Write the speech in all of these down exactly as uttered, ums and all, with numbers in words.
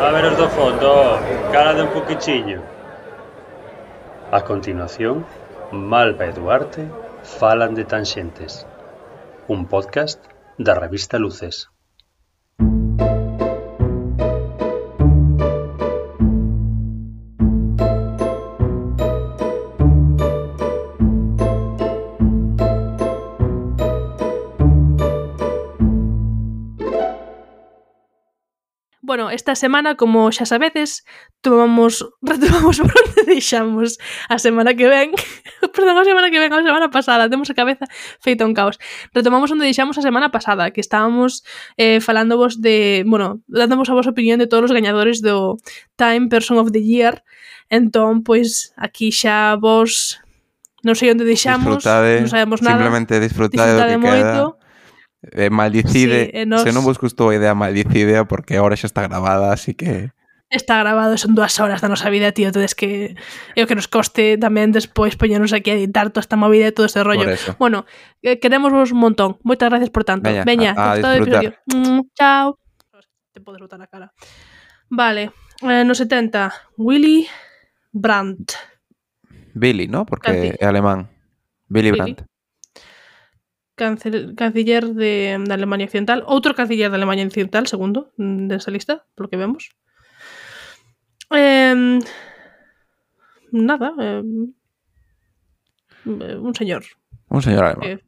A ver os do fondo, calade un poquichiño. A continuación, Malva e Duarte falan de Tanxentes, un podcast da revista Luces. Bueno, esta semana, como xa sabedes, tomamos, retomamos por onde deixamos a semana que ven. Perdón, a semana que ven, a semana pasada, temos a cabeza feita un caos. Retomamos onde deixamos a semana pasada, que estábamos eh, falándovos de, bueno, dándovos a vosa opinión de todos os gañadores do Time Person of the Year. Entón, pois, aquí xa vos non sei onde deixamos, non sabemos nada. Simplemente disfrutade, disfrutade do que moito. Queda. Eh, maldicide, sí, nos... se non vos gustou a idea, maldicide, porque agora xa está grabada, así que... Está grabado, son dúas horas da nosa vida, tío, entonces que é o que nos coste tamén despois poñernos aquí a editar toda esta movida e todo este rollo. Bueno, eh, queremos vos un montón. Moitas gracias por tanto. Veña, Veña, a, a disfrutar. Mm, chao. Te podes botar a cara. Vale, eh, no setenta, Willy Brandt. Billy, ¿no? Porque é alemán. Willy Brandt. Cancel, canciller de, de Alemania Occidental, outro canciller de Alemania Occidental, segundo desa lista, polo que vemos. Eh, nada, eh, un señor. Un señor alemán. Eh,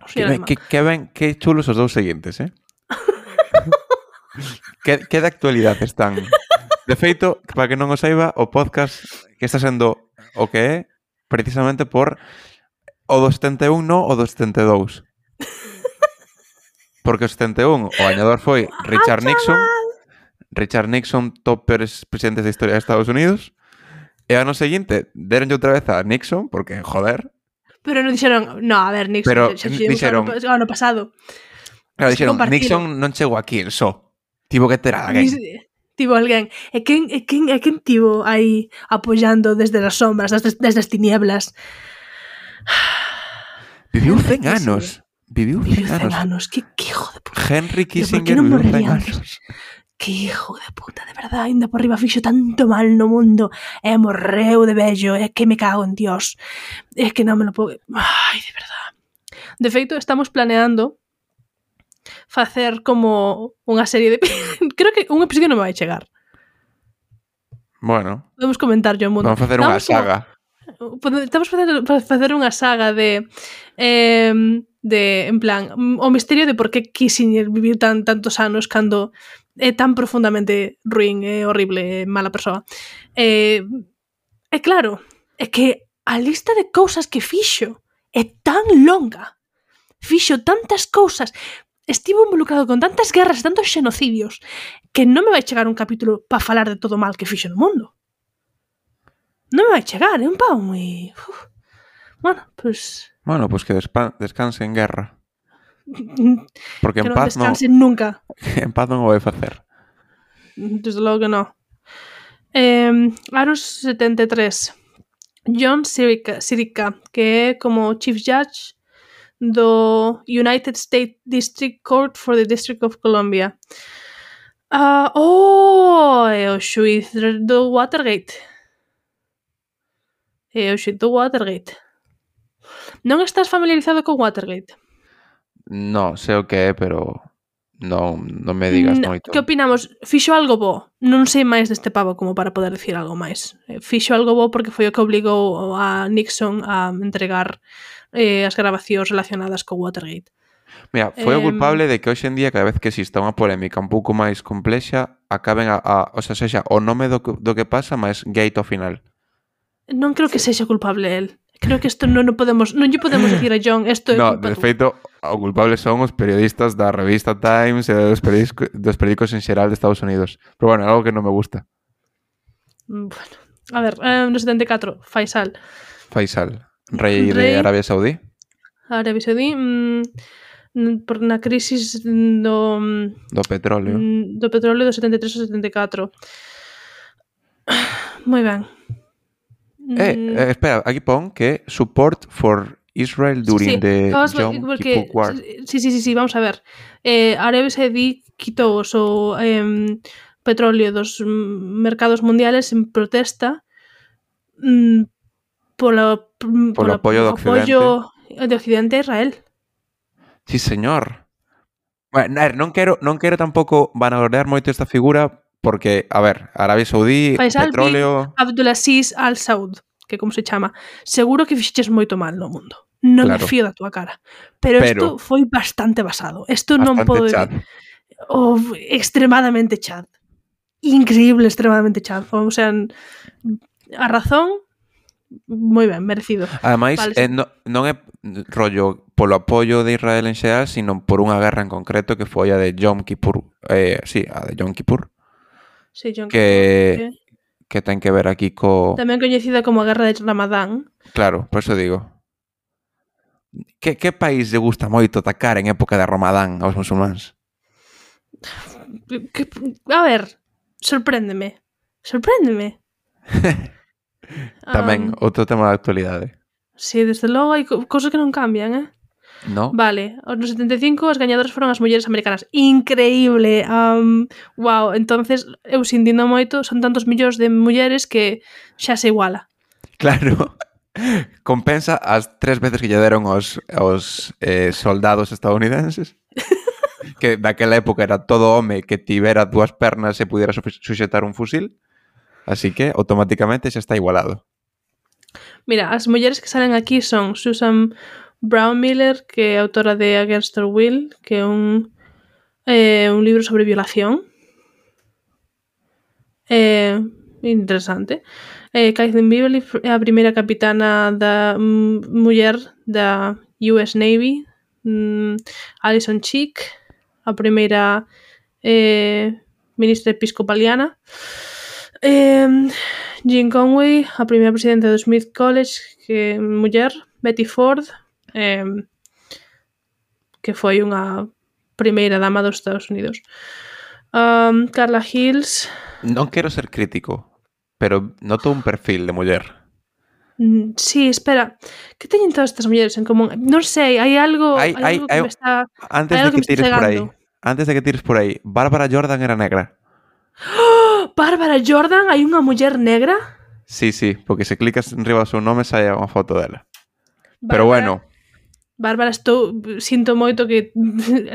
un señor que, alemán. Que, que, ven, que chulos os dous seguintes, eh? que, que de actualidade están. De feito, para que non o saiba, o podcast que está sendo o que é, precisamente por... O do setenta e un no, o do setenta e dous. Porque o setenta e un, o gañador foi Richard Nixon. Richard Nixon, top peores presidentes da historia de Estados Unidos. E ano seguinte, deronlle outra vez a Nixon, porque, joder. Pero non dixeron, no, a ver, Nixon. Pero dixeron... O ano pasado. Claro, dixeron, Nixon non chegou aquí, el só. Tivo que ter a alguén. Tivo alguén. E quen, e quen, e quen tivo aí apoyando desde as sombras, desde, desde as tinieblas... Viviu cen anos. Viviu cen anos. anos. Que, que hijo de puta. Henry Kissinger viviu cen anos. Que hijo de puta, de verdade. Ainda por riba fixo tanto mal no mundo. E morreu de vello. É que me cago en Dios. É que non me lo podo... Ai, de verdade. De feito, estamos planeando facer como unha serie de... Creo que un episodio non me vai chegar. Bueno. Podemos comentar yo o mundo. Vamos facer unha saga. Estamos para facer unha saga de eh, de, en plan, o misterio de por que Kissinger viviu tan, tantos anos cando é tan profundamente ruín, é horrible, é mala persoa. Eh, é claro, é que a lista de cousas que fixo é tan longa, fixo tantas cousas, estivo involucrado con tantas guerras, tantos xenocidios, que non me vai chegar un capítulo para falar de todo o mal que fixo no mundo. Non me vai chegar, é un pavo moi... Uf. Bueno, pues... Bueno, pues que despa- descanse en guerra. Porque que en non paz descanse no... nunca. En paz non o vai facer. Desde logo que non. Eh, anos setenta e tres. John Sirica, Sirica, que é como Chief Judge do United States District Court for the District of Columbia. Uh, oh, é o xuiz do Watergate. É o xito Watergate. Non estás familiarizado con Watergate? No, sei o que é, pero non, non me digas no, moito. Que opinamos? Fixo algo bo? Non sei máis deste pavo como para poder dicir algo máis. Fixo algo bo porque foi o que obligou a Nixon a entregar eh, as grabacións relacionadas co Watergate. Mira, foi o Eh, culpable de que hoxe en día, cada vez que exista unha polémica un pouco máis complexa, acaben a, a o sea, sexa o nome do que, do que pasa, máis gate ao final. Non creo que sexa culpable el. Creo que isto non, non podemos, non lle podemos decir a John isto é No, culpa de tú. feito, o culpable son os periodistas da revista Times e dos periódicos, dos periódicos en xeral de Estados Unidos. Pero bueno, algo que non me gusta. Bueno, a ver, eh, no setenta e catro, Faisal. Faisal, rei, Rei. de Arabia Saudí. Arabia Saudí, mm, por na crisis do Do petróleo. mm, do petróleo do setenta e tres ao setenta e catro. Moi ben. Eh, eh, espera, aquí pon que support for Israel during sí, the vamos, Yom porque, Kippur War. Sí, sí, sí, sí, vamos a ver. Eh, Arabia Saudí quitou o seu eh, petróleo dos mercados mundiales en protesta mm, polo, Polo polo apoio do Occidente. apoio de Occidente a Israel. Sí, señor. Bueno, a ver, non quero, non quero tampouco vanagloriar moito esta figura porque, a ver, Arabia Saudí, Faisal bin petróleo... Abdulaziz Al Saud, que como se chama, seguro que fixeches moito mal no mundo. Non Claro. me fío da túa cara. Pero isto Pero- foi bastante basado. Isto non Bastante podo chat. decir. Oh, extremadamente chat. Increíble, extremadamente chat. O sea, a razón, moi ben, merecido. Ademais, Vale, eh, sí. no, non é rollo polo apoio de Israel en xeral, sino por unha guerra en concreto que foi a de Yom Kippur. Eh, sí, a de Yom Kippur. Sí, John que- Kippur, Que ten que ver aquí co... que tamén coñecida como a Guerra de Ramadán. Claro, por eso digo. Que, que país lle gusta moito atacar en época de Ramadán aos musulmáns? Que, a ver, sorpréndeme. Sorpréndeme. Tamén, Um, outro tema da actualidade. sí, desde logo hai co- cousas que non cambian, eh? No? Vale, no setenta e cinco as gañadoras foron as mulleres americanas. Increíble. Um, wow, entonces eu sintindo moito, son tantos millóns de mulleres que xa se iguala. Claro. Compensa as tres veces que lle deron aos, aos eh, soldados estadounidenses. Que daquela época era todo home que tivera dúas pernas e pudera suxetar un fusil. Así que automáticamente xa está igualado. Mira, as mulleres que salen aquí son Susan Brown Miller, que é autora de Against Her Will, que é un, eh, un libro sobre violación. Eh, interesante. Eh, Kathleen Beverly é a primeira capitana da mm, muller da U S Navy. Mm, Alison Chick, a primeira eh, ministra episcopaliana. Eh, Jean Conway, a primeira presidenta do Smith College, que é muller. Betty Ford, eh, que foi unha primeira dama dos Estados Unidos. Um, Carla Hills. Non quero ser crítico, pero noto un perfil de muller. Mm, sí, espera. Que teñen todas estas mulleres en común? Non sei, hai algo, Hai- hai, hai- algo que hai- me está... Antes Hai de algo que que me está tires por aí, cegando. antes de que tires por aí, Bárbara Jordan era negra. ¡Oh! Bárbara Jordan, hai unha muller negra? Sí, sí, porque se clicas en riba do seu nome sae unha foto dela. Pero Bárbara- bueno, Bárbara, estou sinto moito que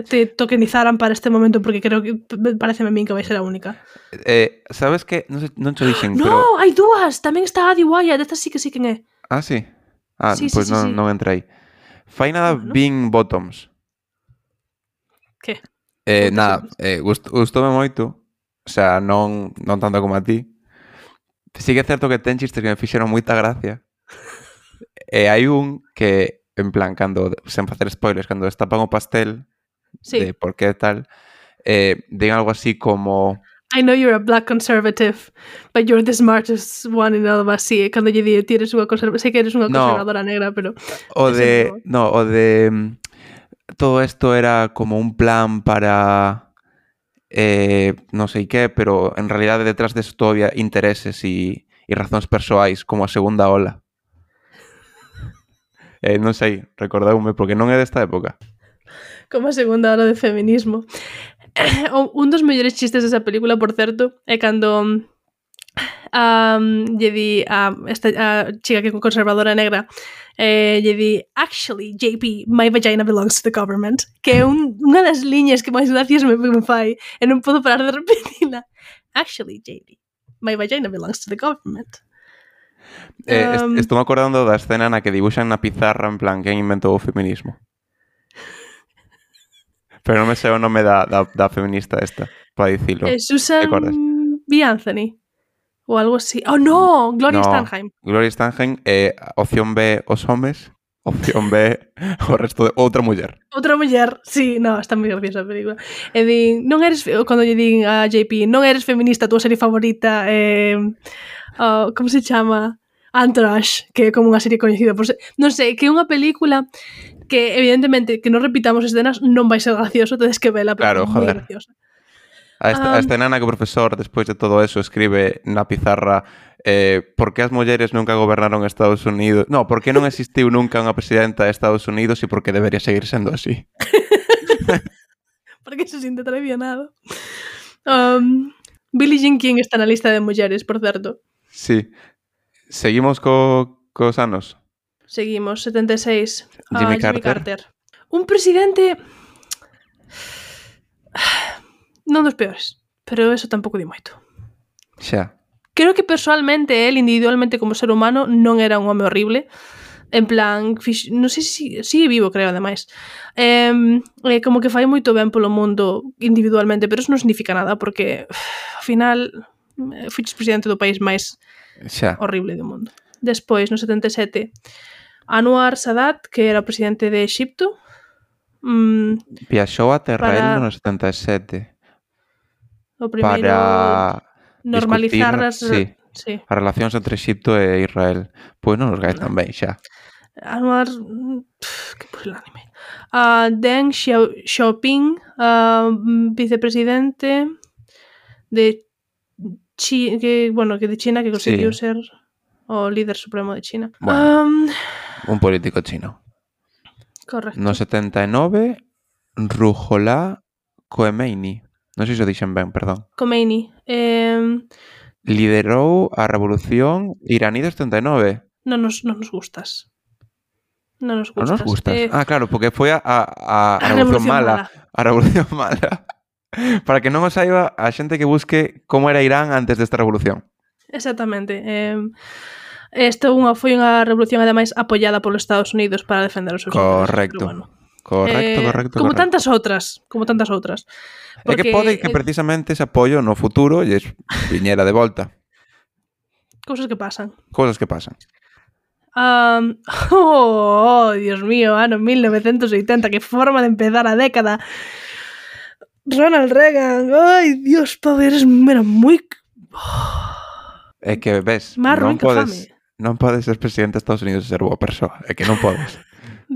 te tokenizaran para este momento porque creo que pareceme a min que vai ser a única. eh, sabes que non, se, non cho dixen, No, pero... hai dúas, tamén está Adi Wyatt, esta sí que sí quen é. Ah, sí. Ah, Sí, sí, pois sí, non, sí. non entrei. Fai nada Bueno. Bing Bottoms. Que? Eh, Bottoms. nada, eh, gust, gustoume moito. O sea, non, non tanto como a ti. Sí que é certo que ten chistes que me fixeron moita gracia. E hai un que, en plan, cando, sen facer spoilers, cando destapan o pastel, Sí. de por qué tal, eh, din algo así como... I know you're a black conservative, but you're the smartest one in all of us. Sí, cando lle di, ti eres unha conservadora, sei que eres unha No. conservadora negra, pero O Ese de... no. No, o de... mm, Todo esto era como un plan para... Eh, non sei qué, pero en realidade detrás de eso todavía intereses e, e razóns persoais, como a segunda ola. Eh, non sei, recordaume, porque non é desta época. como a segunda hora de feminismo. O- un dos mellores chistes desa película, por certo, é cando um, lle di a esta a chica que é conservadora negra, eh, lle di, actually, J P, my vagina belongs to the government, que é un, unha das liñas que máis gracias me, me fai, e non podo parar de repetila. Actually, J P, my vagina belongs to the government. Eh, est- Um, estou me acordando da escena na que dibuixan na pizarra en plan quen inventou o feminismo. Pero non me sei o nome da, da, da feminista esta, para dicilo. Eh, Susan acordas? B. Anthony, ou algo así. Oh, no, Gloria No. Stanheim. Gloria Stanheim, eh, opción B, os homes, opción B, o resto de outra muller. Outra muller, sí, no, está moi graciosa a película. E din, non eres, fe- cando lle din a J P, non eres feminista, a túa serie favorita, eh, oh, como se chama? Entourage, que é como unha serie coñecida por ser, non sei, que é unha película que evidentemente que non repitamos escenas non vai ser gracioso, tedes que vela, Claro, é moi joder. graciosa. A esta, Um, a esta nana que o profesor, despois de todo eso, escribe na pizarra eh, por que as mulleres nunca gobernaron Estados Unidos. No, por que non existiu nunca unha presidenta de Estados Unidos e por que debería seguir sendo así. Porque se siente traicionado. Um, Billie Jean King está na lista de mulleres, por certo. Sí. Seguimos co, cos anos. Seguimos, setenta e seis. Jimmy a Jimmy Carter. Carter. Un presidente... Non dos peores, pero eso tampouco di moito. Xa. Creo que personalmente, él, individualmente como ser humano, non era un home horrible. En plan, fix... non sei se sigue vivo, creo, ademais. Eh, eh, como que fai moito ben polo mundo individualmente, pero eso non significa nada, porque, uf, ao final, eh, fuches presidente do país máis Xa. horrible do mundo. Despois, no setenta e sete, Anwar Sadat, que era o presidente de Exipto. Mm, Viaxou a Israel para- no setenta e sete o primeiro para normalizar as... discutir, sí, Sí. as relacións entre Exipto e Israel. Pois non nos gai tan ben xa. Anwar, pff, que pusilánime. Uh, Deng Xiao- Xiaoping, uh, vicepresidente de Chi, que, bueno, que de China, que conseguiu Sí. ser o líder supremo de China. Bueno. Um, Un político chino. correcto. No setenta e nove, Ruhollah Khomeini. Non sei se o dixen ben, perdón. Khomeini. Eh, Liderou a revolución iraní do setenta e nove. non, nos, non nos gustas. Non nos Non gustas. nos gustas. Eh, Ah, claro, porque foi a, a, a, a a revolución, revolución mala. mala. A revolución mala. Para que non o saiba, a xente que busque como era Irán antes desta revolución. Exactamente. Eh, Isto unha, foi unha revolución ademais apoiada polos Estados Unidos para defender os seus intereses. Correcto. Pero bueno. Correcto, Eh, correcto, Como correcto. tantas outras, como tantas outras. É que pode que eh, precisamente ese apoio no futuro lles viñera de volta. Cousas que pasan. Cousas que pasan. Um, oh, oh, Dios mío, ano mil novecientos oitenta, que forma de empezar a década. Ronald Reagan, ai, Dios, pobre, eres era moi... É que, ves, Más non ruín que podes, fame. non podes ser presidente de Estados Unidos e ser boa persoa. É que non podes.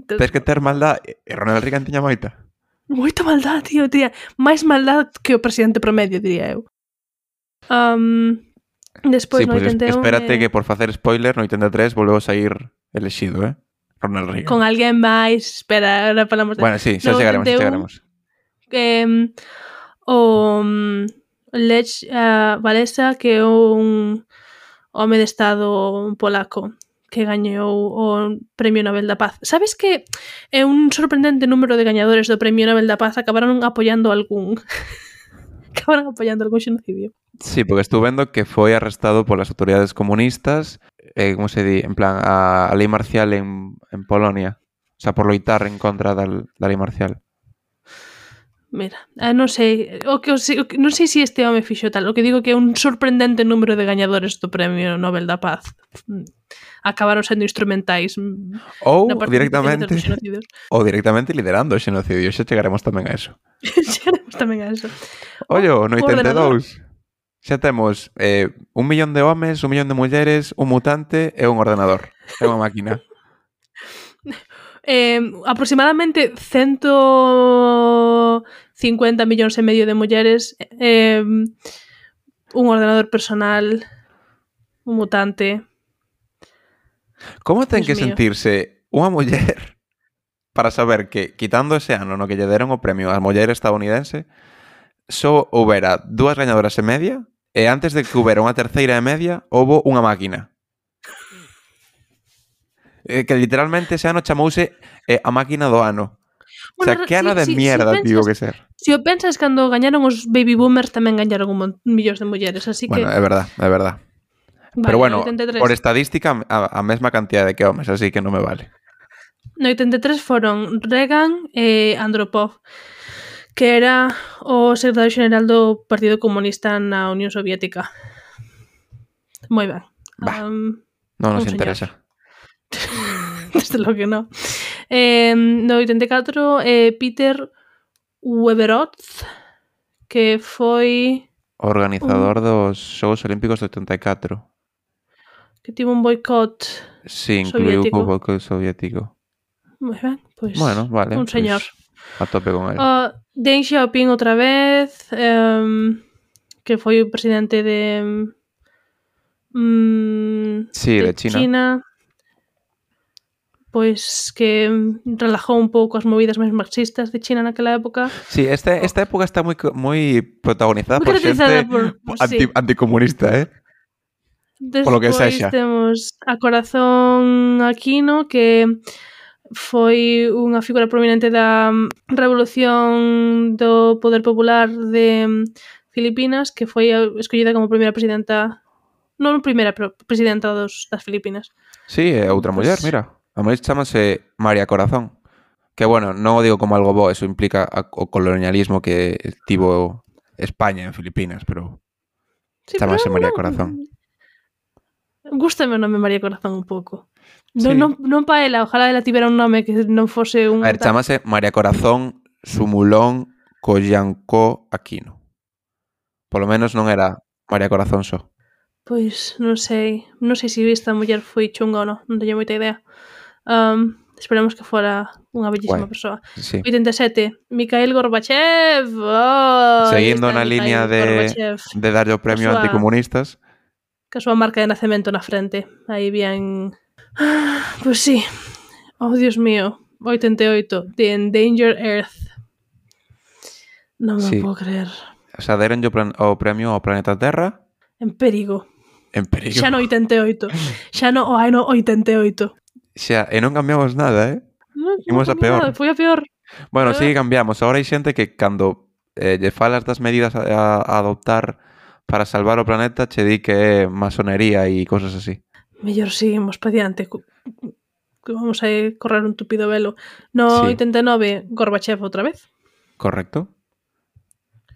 Tens que ter maldad. E Ronald Reagan tiña moita. Moita maldad, tío, tía. Máis maldad que o presidente promedio, diría eu. Um, despois, Sí, no pois oitenta e un, espérate eh, que por facer spoiler no oitenta e tres volveu a sair elexido, eh? Ronald Reagan. con alguén máis... Espera, ahora falamos de... Bueno, sí, xa no chegaremos, xa oitenta e un, chegaremos. Eh, o um, Lech uh, Walesa, que é un home de estado polaco que gañou o Premio Nobel da Paz. Sabes que é un sorprendente número de gañadores do Premio Nobel da Paz acabaron apoiando algún acabaron apoiando algún xenocidio. Sí, porque estuve vendo que foi arrestado polas autoridades comunistas, eh, como se di, en plan, a, a lei marcial en, en Polonia. O sea, por loitar en contra da, da lei marcial. Mira, eh, non sei, o que, o, o que non sei se este home fixo tal, o que digo que é un sorprendente número de gañadores do Premio Nobel da Paz acabaron sendo instrumentais Ou na participación directamente dos xenocidios. ou directamente liderando o xenocidio. Xa chegaremos tamén a eso. Chegaremos tamén a eso. Ollo, no O oitenta e ordenador. dous xa temos eh, un millón de homes, un millón de mulleres, un mutante e un ordenador. É unha máquina. Eh, aproximadamente ciento cincuenta millóns e medio de mulleres, eh, un ordenador personal, un mutante. Como ten Dios que mío. sentirse unha muller para saber que, quitando ese ano no que lle deron o premio á muller estadounidense, só houbera dúas gañadoras e media e antes de que houbera unha terceira e media houbo unha máquina. Eh, que literalmente ese ano chamouse eh, a máquina do ano. O sea, Bueno, que ano si- de si- si mierda pensas- tivo que ser. Se o pensas, cando gañaron os baby boomers tamén gañaron un mon- millóns de mulleres, así Bueno, que... é verdad, é verdad. Vale, Pero bueno, no oitenta e tres, por estadística a, a mesma cantidad de que homes, así que non me vale. no oitenta e tres foron Reagan e Andropov, que era o secretario xeral do Partido Comunista na Unión Soviética. Moi ben. Bah. Um, Non nos un señor. interesa. Desde lo que no. Eh, no oitenta e catro, eh, Peter Weberoth, que foi... O organizador dos Xogos Olímpicos do oitenta e catro. que tivo un boicot. Sí, incluiu Soviético. co boicot soviético. Moi ben, pois... Bueno, vale. un señor. Pues, a tope con él. Uh, Deng Xiaoping outra vez, um, que foi o presidente de... Um, Sí, de China. China. pois que relajou un pouco as movidas máis marxistas de China naquela época. Sí, este, esta época está moi moi protagonizada Muy por caracterizada xente por- anti, sí. anticomunista, eh? Polo que Despois sexa. temos a Corazón Aquino, que foi unha figura prominente da revolución do poder popular de Filipinas, que foi escollida como primeira presidenta, non primeira, pero presidenta dos, das Filipinas. Sí, é outra Pues- muller, mira. A máis chamase María Corazón. Que, bueno, non o digo como algo bo, eso implica a, o colonialismo que tivo España en Filipinas, pero Sí, chamase pero María non- Corazón. Gústame o nome María Corazón un pouco. Non, Sí. non, non pa ela, ojalá ela tivera un nome que non fose un... A ver, tal. chamase María Corazón Sumulón Collancó Aquino. Polo menos non era María Corazón só. Pois non sei, non sei se esta muller foi chunga ou non, non teño moita idea. Um, esperemos que fora unha bellísima Guai. persoa. Sí. oitenta e sete, Mikhail Gorbachev. Oh, Seguindo está na Mikhail liña de, Gorbachev, de darlle o premio súa- anticomunistas. que a súa marca de nacemento na frente. Aí bien... Ah, pois sí. Oh, Dios mío. oitenta e oito, The Endangered Earth. Non me Sí. puedo creer. O sea, deronlle o, plan, o premio ao planeta Terra En perigo. en perigo. Xa no oitenta e oito. Xa no o ano oitenta e oito. Xa, e non cambiamos nada, eh? Non, Imos a cambiou peor. nada, foi a peor. Bueno, Ah. sí que cambiamos. Ahora hai xente que cando eh, lle falas das medidas a, a, a adoptar para salvar o planeta, che di que é masonería e cosas así. Mellor seguimos pa diante. cu- que Vamos a correr un tupido velo. No Sí. oitenta e nove, Gorbachev outra vez. Correcto.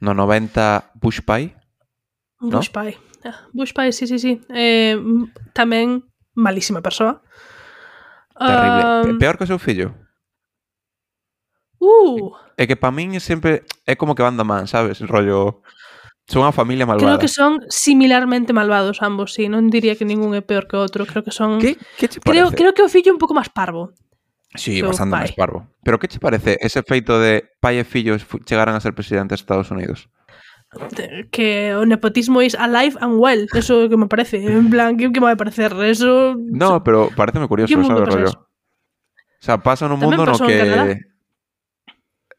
No noventa, Bush pai. ¿No? Bush pai. Ah, Bush pai, sí, sí, sí. Eh, m- tamén malísima persoa. Terrible. Um, Peor que o seu fillo. uh, É que pa min é sempre... É como que van da man, sabes? Rollo... Son unha familia malvada. creo que son similarmente malvados ambos, sí. Non diría que ningún é peor que outro. Creo que son... Que, que che Creo, parece? creo que o fillo é un pouco máis parvo. Sí, que o bastante pai. máis parvo. Pero que che parece ese feito de pai e fillos fu- chegaran a ser presidentes de Estados Unidos? Que o nepotismo is alive and well. Eso é o que me parece. En plan, que, que me vai parecer? Eso... No, pero pareceme curioso, ¿Qué mundo sabes, pasa rollo? eso? O sea, pasa nun Tamén mundo no pasou en Canadá. que...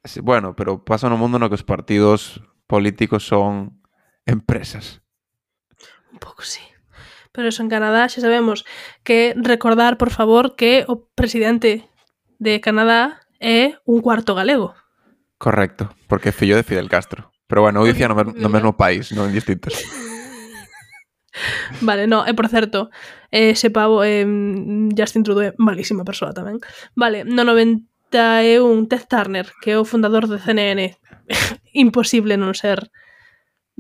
Sí, bueno, pero pasa nun mundo no que os partidos políticos son empresas. Un pouco sí. Pero eso en Canadá xa sabemos que recordar, por favor, que o presidente de Canadá é un cuarto galego. Correcto, porque é fillo de Fidel Castro. Pero bueno, eu dicía no, mer- no mesmo país, non en distintos. Vale, no, e por certo, ese pavo é eh, Justin Trudeau é malísima persoa tamén. Vale, no noventa e un, Ted Turner, que é o fundador de C N N. Imposible non ser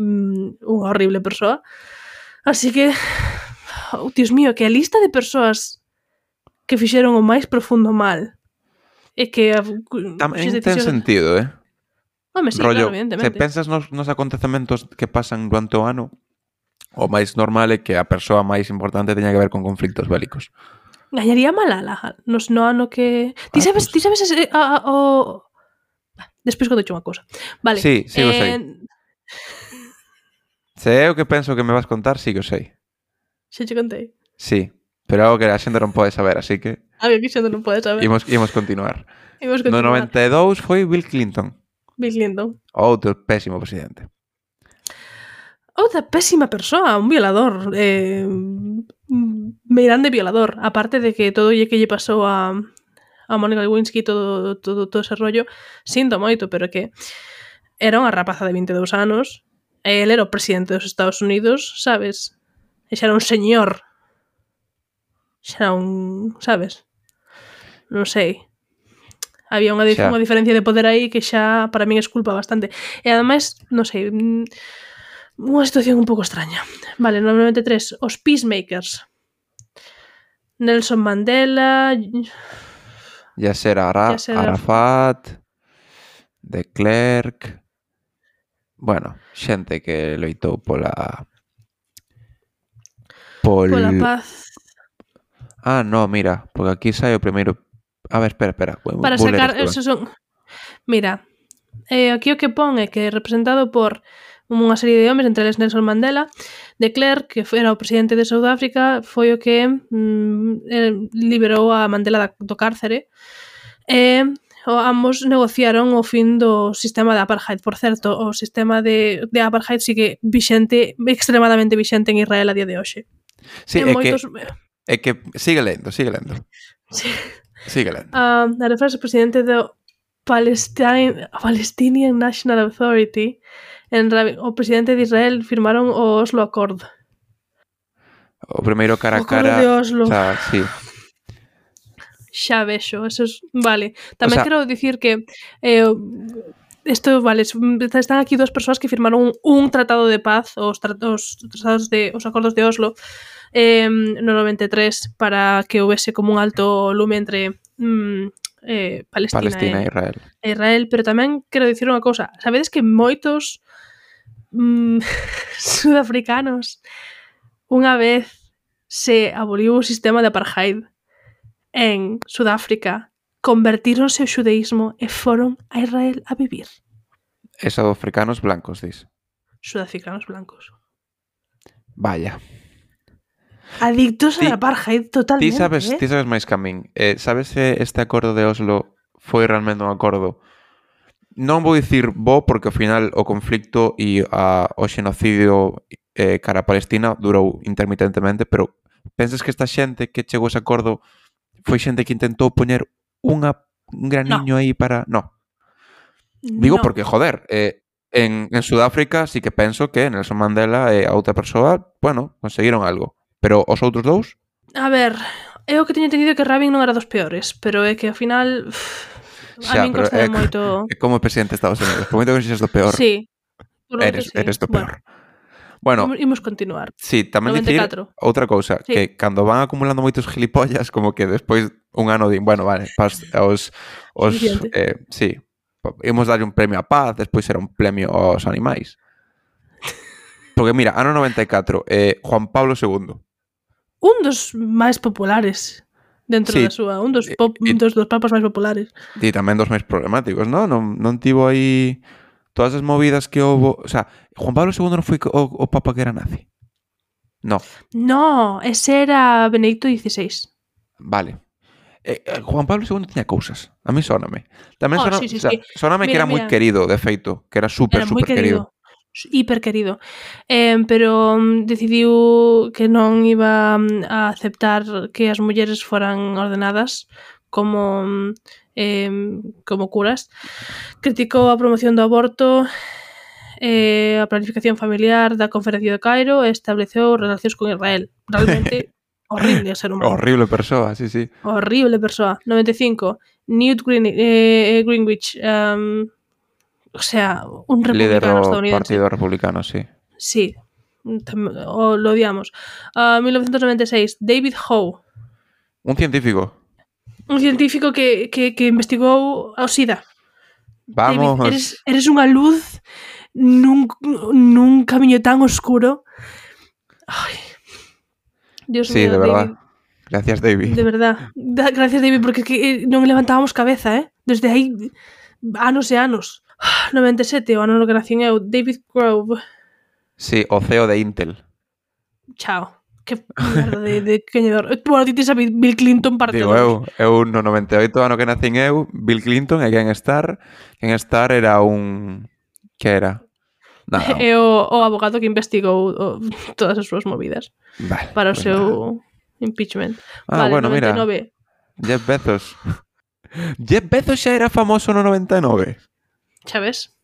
mm, unha horrible persoa. Así que, oh, Dios mío, que a lista de persoas que fixeron o máis profundo mal e que Tamén ten sentido, eh? Home, sí, Rollo, claro, se evidentemente. pensas nos, nos acontecementos que pasan durante o ano, o máis normal é que a persoa máis importante teña que ver con conflictos bélicos. Gañaría Malala nos no ano que... Ti Ah, sabes, pues- ti sabes ese, a, a, o... Despois que te unha cousa. Vale. Sí, sí, o sei. eh, Se é o que penso que me vas contar, sí que o sei. Xa che contei. Sí, pero é algo que a xente non pode saber, así que A ver, que xa non podes saber. imos, imos continuar. Imos No continuar. noventa e dous foi Bill Clinton, Bill Clinton. outro pésimo presidente. Outra pésima persoa, un violador. Eh, meirande violador. Aparte de que todo o que lle pasou a, a Mónica Lewinsky, todo, todo, todo ese rollo, sinto moito, pero que era unha rapaza de vinte e dous anos, e ele era o presidente dos Estados Unidos, sabes? E xa era un señor. Xa era un... sabes? Non sei. Había unha, dif Xa. unha diferencia de poder aí que xa para min esculpa bastante. E ademais, non sei, mm, unha situación un pouco extraña. Vale, no noventa e tres, os Peacemakers. Nelson Mandela... Yasser Ara Yasser Arafat, de Klerk... Bueno, xente que loitou pola... Pol... Pola paz. Ah, no, mira, porque aquí sai o primeiro... A ver, espera, espera. vou- Para vou ler sacar... isto, Esos son... Mira, eh, aquí o que pon é que representado por unha serie de homes, entre eles Nelson Mandela. De Klerk, que era o presidente de Sudáfrica, foi o que mm, liberou a Mandela do cárcere. E o, ambos negociaron o fin do sistema de apartheid. Por certo, o sistema de, de apartheid sigue vixente, extremadamente vixente en Israel a día de hoxe. Sí, En é moitos... que, é que sigue lendo, sigue lendo. Sí. Sigue lendo. Uh, a frase presidente do Palestine, Palestinian National Authority, en, o presidente de Israel firmaron o Oslo Accord. O primeiro cara a O Accordo cara... de Oslo. O sea, sí. Xa vexo, eso es... Vale. Tamén O sea, quero dicir que eh, isto, vale, están aquí dúas persoas que firmaron un, un tratado de paz, os, tra os tratados de os acordos de Oslo, eh, no noventa e tres, para que houvese como un alto lume entre mm, eh, Palestina, Palestina e e Israel. Israel, pero tamén quero dicir unha cousa. Sabedes que moitos mm, sudafricanos unha vez se aboliu o sistema de apartheid en Sudáfrica, convertíronse ao xudeísmo e foron a Israel a vivir. E sudafricanos blancos, dis. Sudafricanos blancos. Vaya. Adictos Ti- al apartheid totalmente, Ti sabes, eh? ti sabes máis que a min. Eh, sabes se este acordo de Oslo foi realmente un acordo? Non vou dicir bo porque ao final o conflicto e a, o xenocidio eh, cara a Palestina durou intermitentemente, pero pensas que esta xente que chegou a ese acordo foi xente que intentou poñer unha, un graniño no. aí para... No. Digo no. porque, joder, eh, en, en Sudáfrica sí que penso que Nelson Mandela e a outra persoa, bueno, conseguiron algo. Pero os outros dous? A ver, é o que teño entendido que Rabin non era dos peores, pero é que ao final... Uff, a xa, min pero costa é, moito... é como presidente de Estados Unidos. Por moito que sexas do peor, Sí. eres, Sí. eres do Bueno, peor. Bueno, imos continuar. sí, tamén noventa e dicir catro. outra cousa, Sí. que cando van acumulando moitos gilipollas, como que despois un ano din, bueno, vale, pas, os, os Suficiente. eh, sí, imos darlle un premio a paz, despois era un premio aos animais. Porque mira, ano noventa e catro, eh, Juan Pablo segundo. Un dos máis populares dentro Sí. da súa, un dos, E- pop, e- dos, dos papas máis populares. E tamén dos máis problemáticos, non? Non, non tivo aí todas as movidas que houbo... O sea, Juan Pablo segundo non foi o, o papa que era nazi? No, No, ese era Benedicto dieciséis. vale. Eh, eh, Juan Pablo segundo tiña cousas. A mí sóname. Tamén Oh, sona, sí, sí, o sea, sí. sóname que Mira, era moi mira. querido, de feito. Que era super, Era moi super querido. querido. Hiper querido. Eh, pero um, decidiu que non iba um, a aceptar que as mulleres foran ordenadas como um, eh, como curas. Criticou a promoción do aborto, eh, a planificación familiar da Conferencia de Cairo e estableceu relacións con Israel. Realmente horrible ser humano. Horrible persoa, sí, sí. Horrible persoa. noventa e cinco. Newt Green, eh, Greenwich, um, o sea, un Líder republicano do estadounidense. Partido Republicano, sí. Sí, tam- o lo odiamos. Uh, mil novecientos noventa e seis, David Howe, Un científico. un científico que, que, que investigou o SIDA. Vamos. David, eres, eres unha luz nun, nun camiño tan oscuro. Ay, Dios Sí, mío, de verdad. David. Gracias, David. De verdad. Da, gracias, David, porque que, eh, non levantábamos cabeza, eh? Desde aí, anos e anos. noventa e sete, o ano no que nacín eu, David Grove. Sí, o C E O de Intel. Chao. Que merda de, de coñedor. Bueno, ti tes a Bill Clinton parte Digo, dos. eu, eu no noventa e oito ano que nacín eu, Bill Clinton e Ken Starr. Ken Starr era un... Que era? Nada. É o, o abogado que investigou o, todas as súas movidas Vale, para o pues seu nada. impeachment. Ah, vale, bueno, noventa e mira. nove. Jeff Bezos. Jeff Bezos xa era famoso no noventa e nove. Xa ves?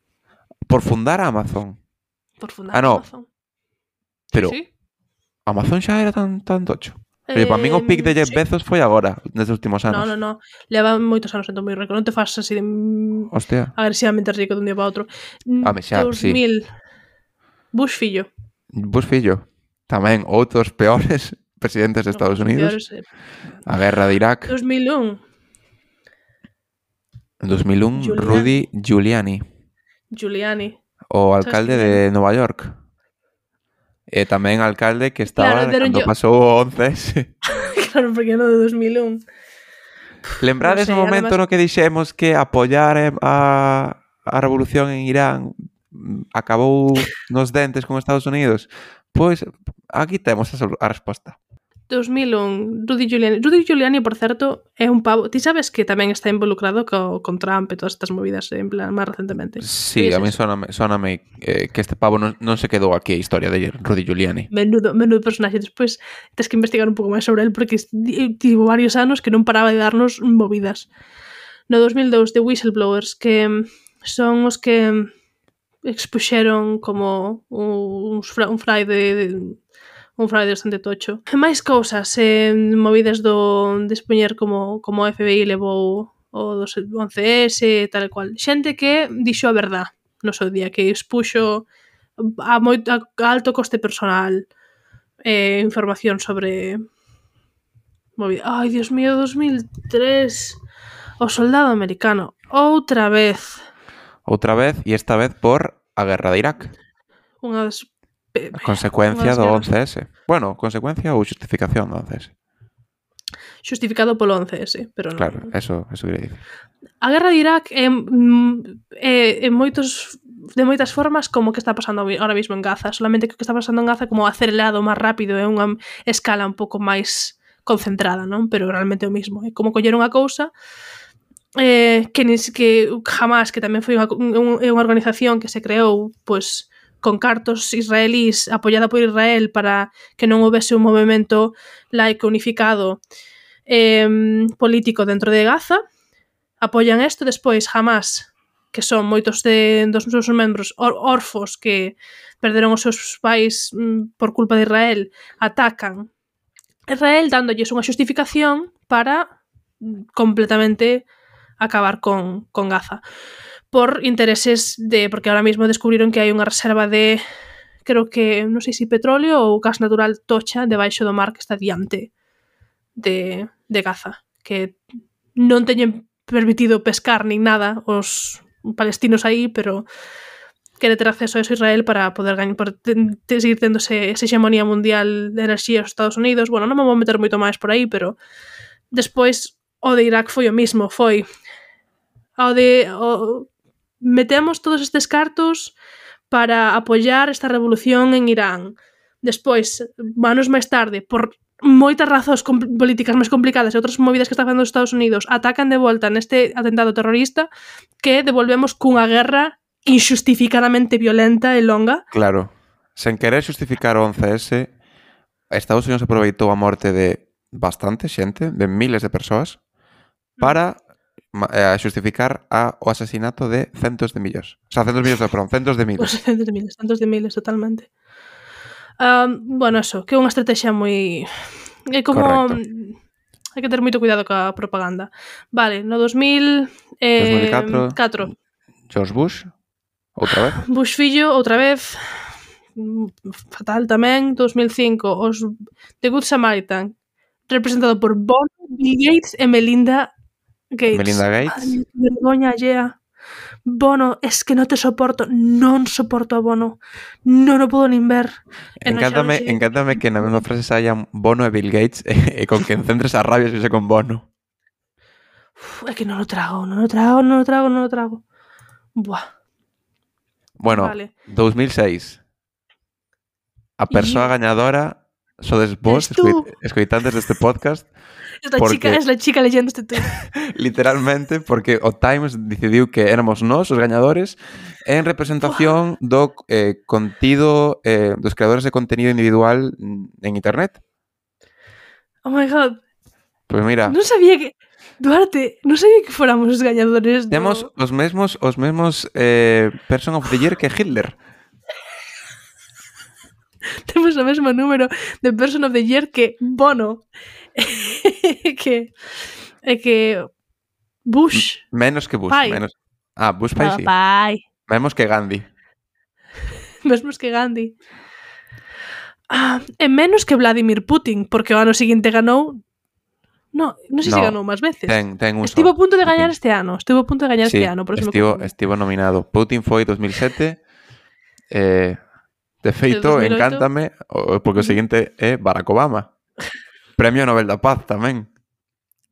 Por fundar a Amazon. Por fundar Ah, no. Amazon. Pero Sí? Amazon xa era tan, tan tocho. Pero para min o pic de Jeff sí. Bezos foi agora, nestes últimos anos. No, no, no. Leva moitos anos sendo moi rico. Non te fas así de mm, Hostia. agresivamente rico dun día para outro. Home, xa, dos sí. mil. Bush fillo. Bush fillo. Tamén outros peores presidentes de Estados Os Unidos. peores, eh. A guerra de Irak. dos mil un. En dos mil un, Giuliani. Rudy Giuliani, Giuliani. o Sabes alcalde quen de Nova York. E tamén alcalde que estaba Claro, deron cando yo- pasou o once ese. Claro, porque no de dos mil un. Lembrades Non sei, o momento además- no que dixemos que apoyar eh, a, a revolución en Irán acabou nos dentes con Estados Unidos? Pois aquí temos a, a resposta. dos mil un, Rudy Giuliani. Rudy Giuliani, por certo, é un pavo... Ti sabes que tamén está involucrado co, con Trump e todas estas movidas en plan máis recentemente? Sí, a mí soname, soname eh, que este pavo non, non se quedou aquí a historia de Rudy Giuliani. Menudo, menudo personaxe. Despois tens que investigar un pouco máis sobre el porque tivo varios anos que non paraba de darnos movidas. No dos mil dous, The Whistleblowers, que son os que expuxeron como un, un fray de... un fraude bastante tocho. Máis cousas, eh, movidas do de expoñer como, como F B I levou o dos once ese, tal e cual. Xente que dixo a verdad no seu día, que expuxo a, moito, a alto coste personal eh, información sobre movida. Ai, Dios mío, dos mil tres, o soldado americano. Outra vez. Outra vez, e esta vez por a guerra de Irak. Unha das... A consecuencia do once ese. Bueno, consecuencia ou justificación do once ese. Justificado polo once ese, pero non. Claro, eso, eso quería dicir. A guerra de Irak é, é, é moitos, de moitas formas como que está pasando ahora mismo en Gaza, solamente que o que está pasando en Gaza como acelerado, máis rápido, é unha escala un pouco máis concentrada, non? Pero realmente é o mismo. É como coller unha cousa eh, que, que jamás, que tamén foi unha, unha organización que se creou, pois, con cartos israelís apoiada por Israel para que non houvese un movimento laico unificado eh, político dentro de Gaza, apoian isto. Despois Hamas, que son moitos de, dos seus membros or, orfos que perderon os seus pais mm, por culpa de Israel, atacan Israel dándolles unha xustificación para mm, completamente acabar con, con Gaza. Por intereses de... Porque ahora mismo descubriron que hai unha reserva de... Creo que, non sei se petróleo ou gas natural tocha debaixo do mar que está diante de, de Gaza. Que non teñen permitido pescar nin nada os palestinos aí, pero quere ter acceso a eso Israel para poder gañar, por ten, ten, seguir tendo esa hegemonía mundial de enerxía aos Estados Unidos. Bueno, non me vou meter moito máis por aí, pero despois o de Irak foi o mismo, foi o de... O, metemos todos estes cartos para apoiar esta revolución en Irán. Despois, anos máis tarde, por moitas razóns políticas máis complicadas e outras movidas que está facendo os Estados Unidos, atacan de volta neste atentado terrorista que devolvemos cunha guerra injustificadamente violenta e longa. Claro. Sen querer justificar o once ese, Estados Unidos aproveitou a morte de bastante xente, de miles de persoas, para a xustificar a, o asesinato de centos de millos. O sea, centos de millos, perdón, centos de miles. Pues centos de miles, centos de miles, totalmente. Um, bueno, eso, que é unha estrategia moi... É como... Correcto. Hai que ter moito cuidado ca propaganda. Vale, no dos mil... Eh, dos mil catro, George Bush, outra vez. Bush fillo, outra vez. Fatal tamén. dos mil cinco, os The Good Samaritan, representado por Bono, Bill Gates e Melinda Gates. Melinda Gates. Ay, vergoña, yeah. Bono, es que non te soporto, non soporto a Bono, non o podo nin ver. Encántame, no encántame que na mesma frase saían Bono e Bill Gates e, e con que encentres a rabia se con Bono. Uf, é que non o trago, non o trago, non o trago, non o trago. Buah. Bueno, vale. dos mil seis. A persoa y... gañadora sodes vos, escoitantes deste podcast. Es la, porque, chica, es la chica leyendo este tweet. Literalmente, porque o Times decidiu que éramos nós os gañadores en representación do eh, contido eh, dos creadores de contenido individual en internet. Oh my god. Pues mira. Non sabía que... Duarte, non sabía que fóramos os gañadores. Temos do... os mesmos os mesmos eh, Person of the Year que Hitler. Temos o mesmo número de Person of the Year que Bono. que é que Bush. Menos que Bush, pai. menos. Ah, Bush pai, no, sí. Pai. Menos que Gandhi. Menos que Gandhi. Ah, e menos que Vladimir Putin, porque o ano seguinte ganou. No, non sei no, se ganou máis veces. Ten, ten un estivo só. a punto de gañar este ano. Estivo a punto de gañar sí, este ano. Por estivo, estivo nominado. Putin foi dos mil sete. Eh, de feito, encántame, porque o seguinte é Barack Obama. Premio Nobel da Paz tamén.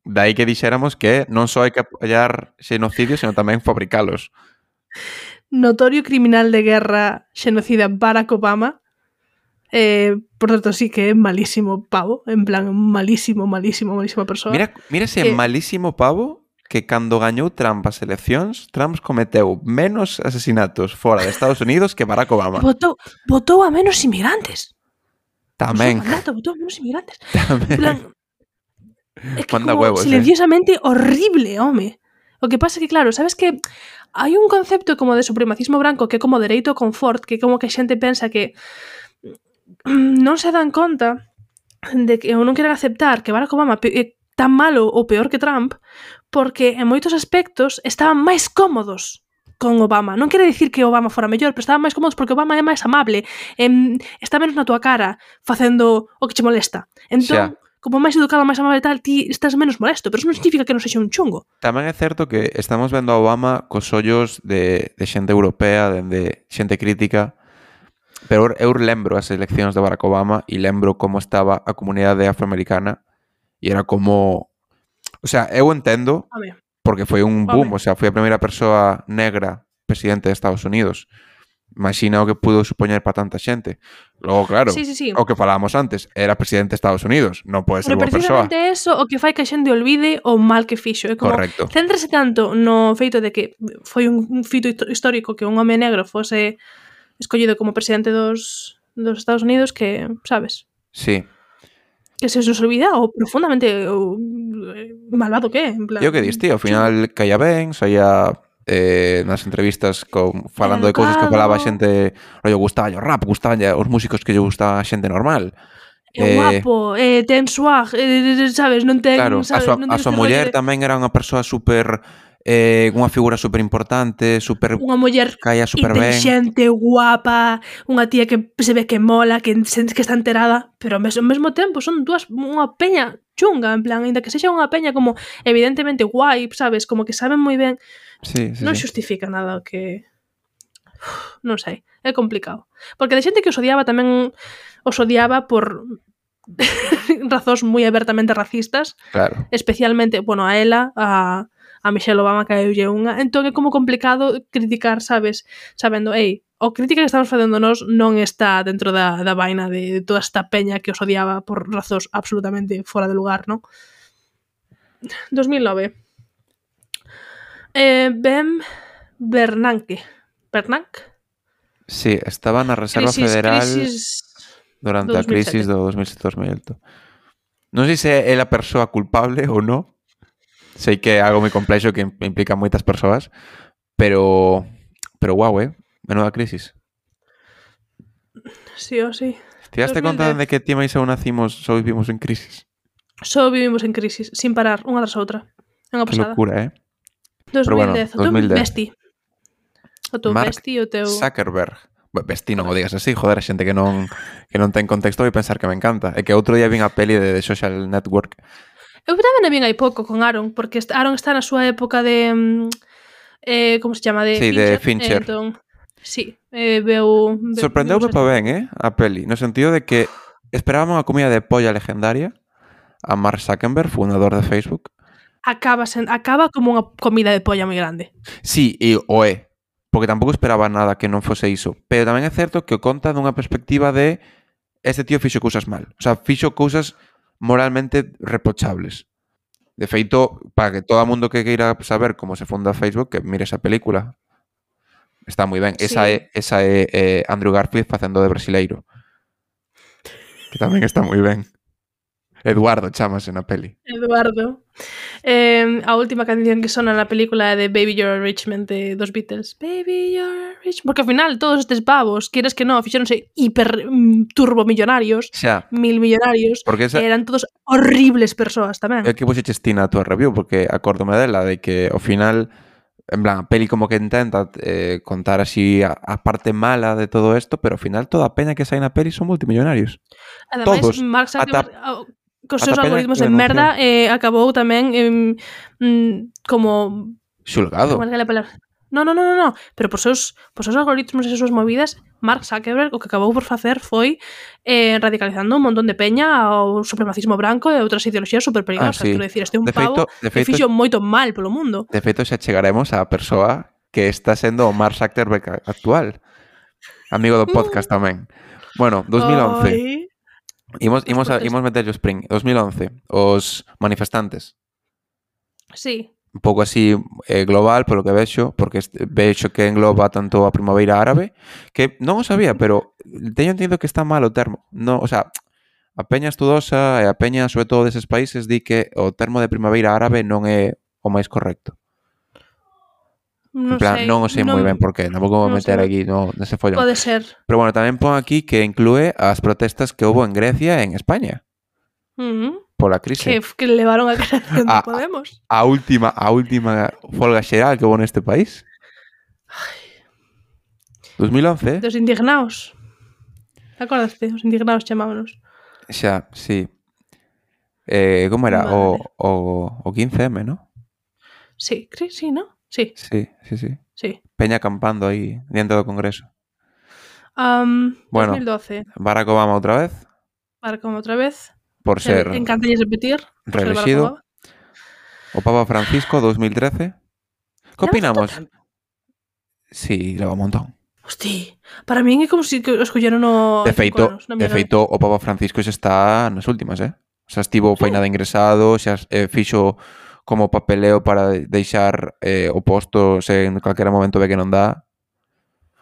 Daí que dixéramos que non só hai que apoiar xenocidios, sino tamén fabricalos. notorio criminal de guerra xenocida Barack Obama. Eh, por tanto, sí que é malísimo pavo, en plan, malísimo, malísimo, malísima persoa. Mira, mira ese que... malísimo pavo que cando gañou Trump as eleccións, Trump cometeu menos asesinatos fora de Estados Unidos que Barack Obama. Votou, votou a menos inmigrantes. Tamén. Mandato, votou a menos inmigrantes. Tamén. En plan, é que Manda como huevos, silenciosamente eh. horrible, home. O que pasa que, claro, sabes que hai un concepto como de supremacismo branco que é como dereito ao confort, que como que a xente pensa que non se dan conta de que ou non queren aceptar que Barack Obama é tan malo ou peor que Trump porque en moitos aspectos estaban máis cómodos con Obama. Non quere dicir que Obama fora mellor, pero estaban máis cómodos porque Obama é máis amable, em, está menos na tua cara facendo o que che molesta. Entón, xa, como máis educado, máis amable e tal, ti estás menos molesto, pero eso non significa que non sexa un chungo. Tamén é certo que estamos vendo a Obama cos ollos de, de xente europea, de, de xente crítica. Pero eu lembro as eleccións de Barack Obama e lembro como estaba a comunidade afroamericana e era como... O sea, eu entendo porque foi un boom, o sea, foi a primeira persoa negra presidente de Estados Unidos. Imagina o que pudo supoñer para tanta xente. Logo, claro, sí, sí, sí. o que falábamos antes, era presidente de Estados Unidos, non pode ser boa persoa. Pero precisamente eso o que fai que a xente olvide o mal que fixo. É como, correcto. Céntrase tanto no feito de que foi un fito histórico que un home negro fose escollido como presidente dos, dos Estados Unidos que, sabes? Sí. Que se nos olvida o profundamente o, malvado que é. En plan, E o que dis, tío? Ao final caía ben, saía eh, nas entrevistas con, falando de cousas que falaba a xente, rollo, gustaba o rap, gustaban os músicos que lle gustaba a xente normal. É eh, guapo, eh, ten swag, eh, sabes? Non ten, claro, sabes, a súa, non a súa muller de... tamén era unha persoa super... Eh, unha figura super importante, super unha muller caía super inteligente, ben, guapa, unha tía que se ve que mola, que, que está enterada, pero ao mesmo, ao mesmo tempo son dúas unha peña chunga, en plan, ainda que sexa unha peña como evidentemente guai, sabes, como que saben moi ben, sí, sí, non sí. xustifica nada o que Uf, non sei, é complicado, porque de xente que os odiaba tamén os odiaba por razóns moi abertamente racistas, claro. Especialmente, bueno, a ela, a a Michelle Obama caeulle unha, entón é como complicado criticar, sabes, sabendo, ei, o crítica que estamos facendo nós non está dentro da, da vaina de toda esta peña que os odiaba por razóns absolutamente fora de lugar, non? dos mil nove eh, Ben Bernanke Bernanke? Sí, estaba na Reserva crisis, Federal crisis durante a crisis do dos mil sete dos mil oito. Non sei se é a persoa culpable ou non. Sei que é algo moi complexo que implica moitas persoas, pero pero guau, eh? Menuda crisis. Sí o sí. Te daste conta de que ti máis eu nacimos só vivimos en crisis? Só vivimos en crisis, sin parar, unha tras outra. É unha pasada. Que locura, eh? dos mil dez, bueno, o teu besti. O teu Mark besti, o teu... Zuckerberg. Besti non o digas así, joder, a xente que non que non ten contexto vai pensar que me encanta. É que outro día vin a peli de The Social Network. Eu tamén vin hai pouco con Aaron, porque Aaron está na súa época de... Eh, como se chama? De sí, Fincher. de Fincher. Entón, sí, eh, veu... Sorprendeume pa ben, eh, a peli. No sentido de que esperábamos unha comida de polla legendaria a Mark Zuckerberg, fundador de Facebook. Acaba, sen, acaba como unha comida de polla moi grande. Sí, e o é. Porque tampouco esperaba nada que non fose iso. Pero tamén é certo que o conta dunha perspectiva de este tío fixo cousas mal. O sea, fixo cousas moralmente reprochables. De feito, para que todo o mundo que queira saber como se funda Facebook, que mire esa película. Está moi ben. Sí. Esa é, esa é eh, Andrew Garfield facendo de brasileiro. Que tamén está moi ben. Eduardo chamase na peli. Eduardo. Eh, a última canción que sona na película é de Baby You're a Rich Man de dos Beatles. Baby You're a Rich Man. Porque ao final todos estes pavos, quieres que non, fixeronse hiper mm, turbo millonarios, xa. Mil millonarios, esa... eran todos horribles persoas tamén. É que vos echestina a tua review, porque acórdome dela de que ao final, en plan, a peli como que intenta eh, contar así a, a parte mala de todo isto, pero ao final toda a peña que sai na peli son multimillonarios. Ademais, todos. Mark Zuckerberg... Ata... cos seus algoritmos de merda eh, acabou tamén eh, mm, como xulgado. Como no, no, no, no, no, pero por seus, por seus algoritmos e as súas movidas, Mark Zuckerberg o que acabou por facer foi eh, radicalizando un montón de peña ao supremacismo branco e outras ideoloxías super perigosas. Ah, sí. Quero decir, este é un de pavo feito, de feito, que fixo moito mal polo mundo. De feito, xa chegaremos á persoa que que está sendo o Mark Zuckerberg actual. Amigo do podcast tamén. Bueno, dos mil once. Ai. Imos, Os imos, a, protestas. imos meter o spring. dos mil once. Os manifestantes. Sí. Un pouco así eh, global, polo que vexo, porque este, vexo que engloba tanto a primavera árabe, que non o sabía, pero teño entendido que está mal o termo. No, o sea, a peña estudosa e a peña, sobre todo deses países, di que o termo de primavera árabe non é o máis correcto. Non En plan, sei. non o sei non, moi ben por qué, tampouco vou non meter sei. aquí no, nese follón. Pode ser. Pero bueno, tamén pon aquí que inclúe as protestas que houbo en Grecia e en España Mm. pola Que, crise. que levaron a creación de A- Podemos. A última, a última folga xeral que houbo neste país. dos mil once, Dos indignados. Acordaste? Os indignados chamámonos. xa, sí. Eh, como era? Vale. O, o, o quince eme, ¿no? Sí, cre- sí, ¿no? Sí, Sí, sí, sí. sí. Peña acampando aí diante do Congreso. Um, Bueno. dos mil doce. Barack Obama outra vez, Para como outra vez. por ser Eh, Encantalle repetir. por ser reelexido. Barack Obama. O Papa Francisco, dos mil trece. Que Leva opinamos? tanto tempo. Sí, leva un montón. Hosti, para min é como se si escolleron o De cinco feito, anos, na de miña feito, o Papa Francisco xa está nas últimas, eh? Xa estivo faina de ingresado, xa eh, fixo como papeleo para deixar eh, o posto se en calquera momento ve que non dá.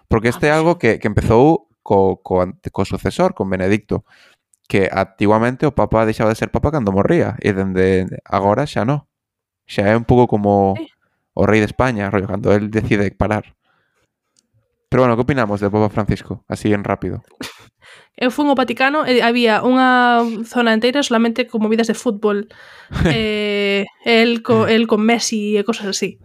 Porque este é algo que, que empezou co, co, ante- co sucesor, con Benedicto, que antiguamente o Papa deixaba de ser Papa cando morría, e dende agora xa non. Xa é un pouco como Sí. o rei de España, rollo, cando el decide parar. Pero bueno, que opinamos do Papa Francisco? Así en rápido. Eu fui ao Vaticano e había unha zona inteira solamente con movidas de fútbol. eh, el, co, el con Messi e cosas así.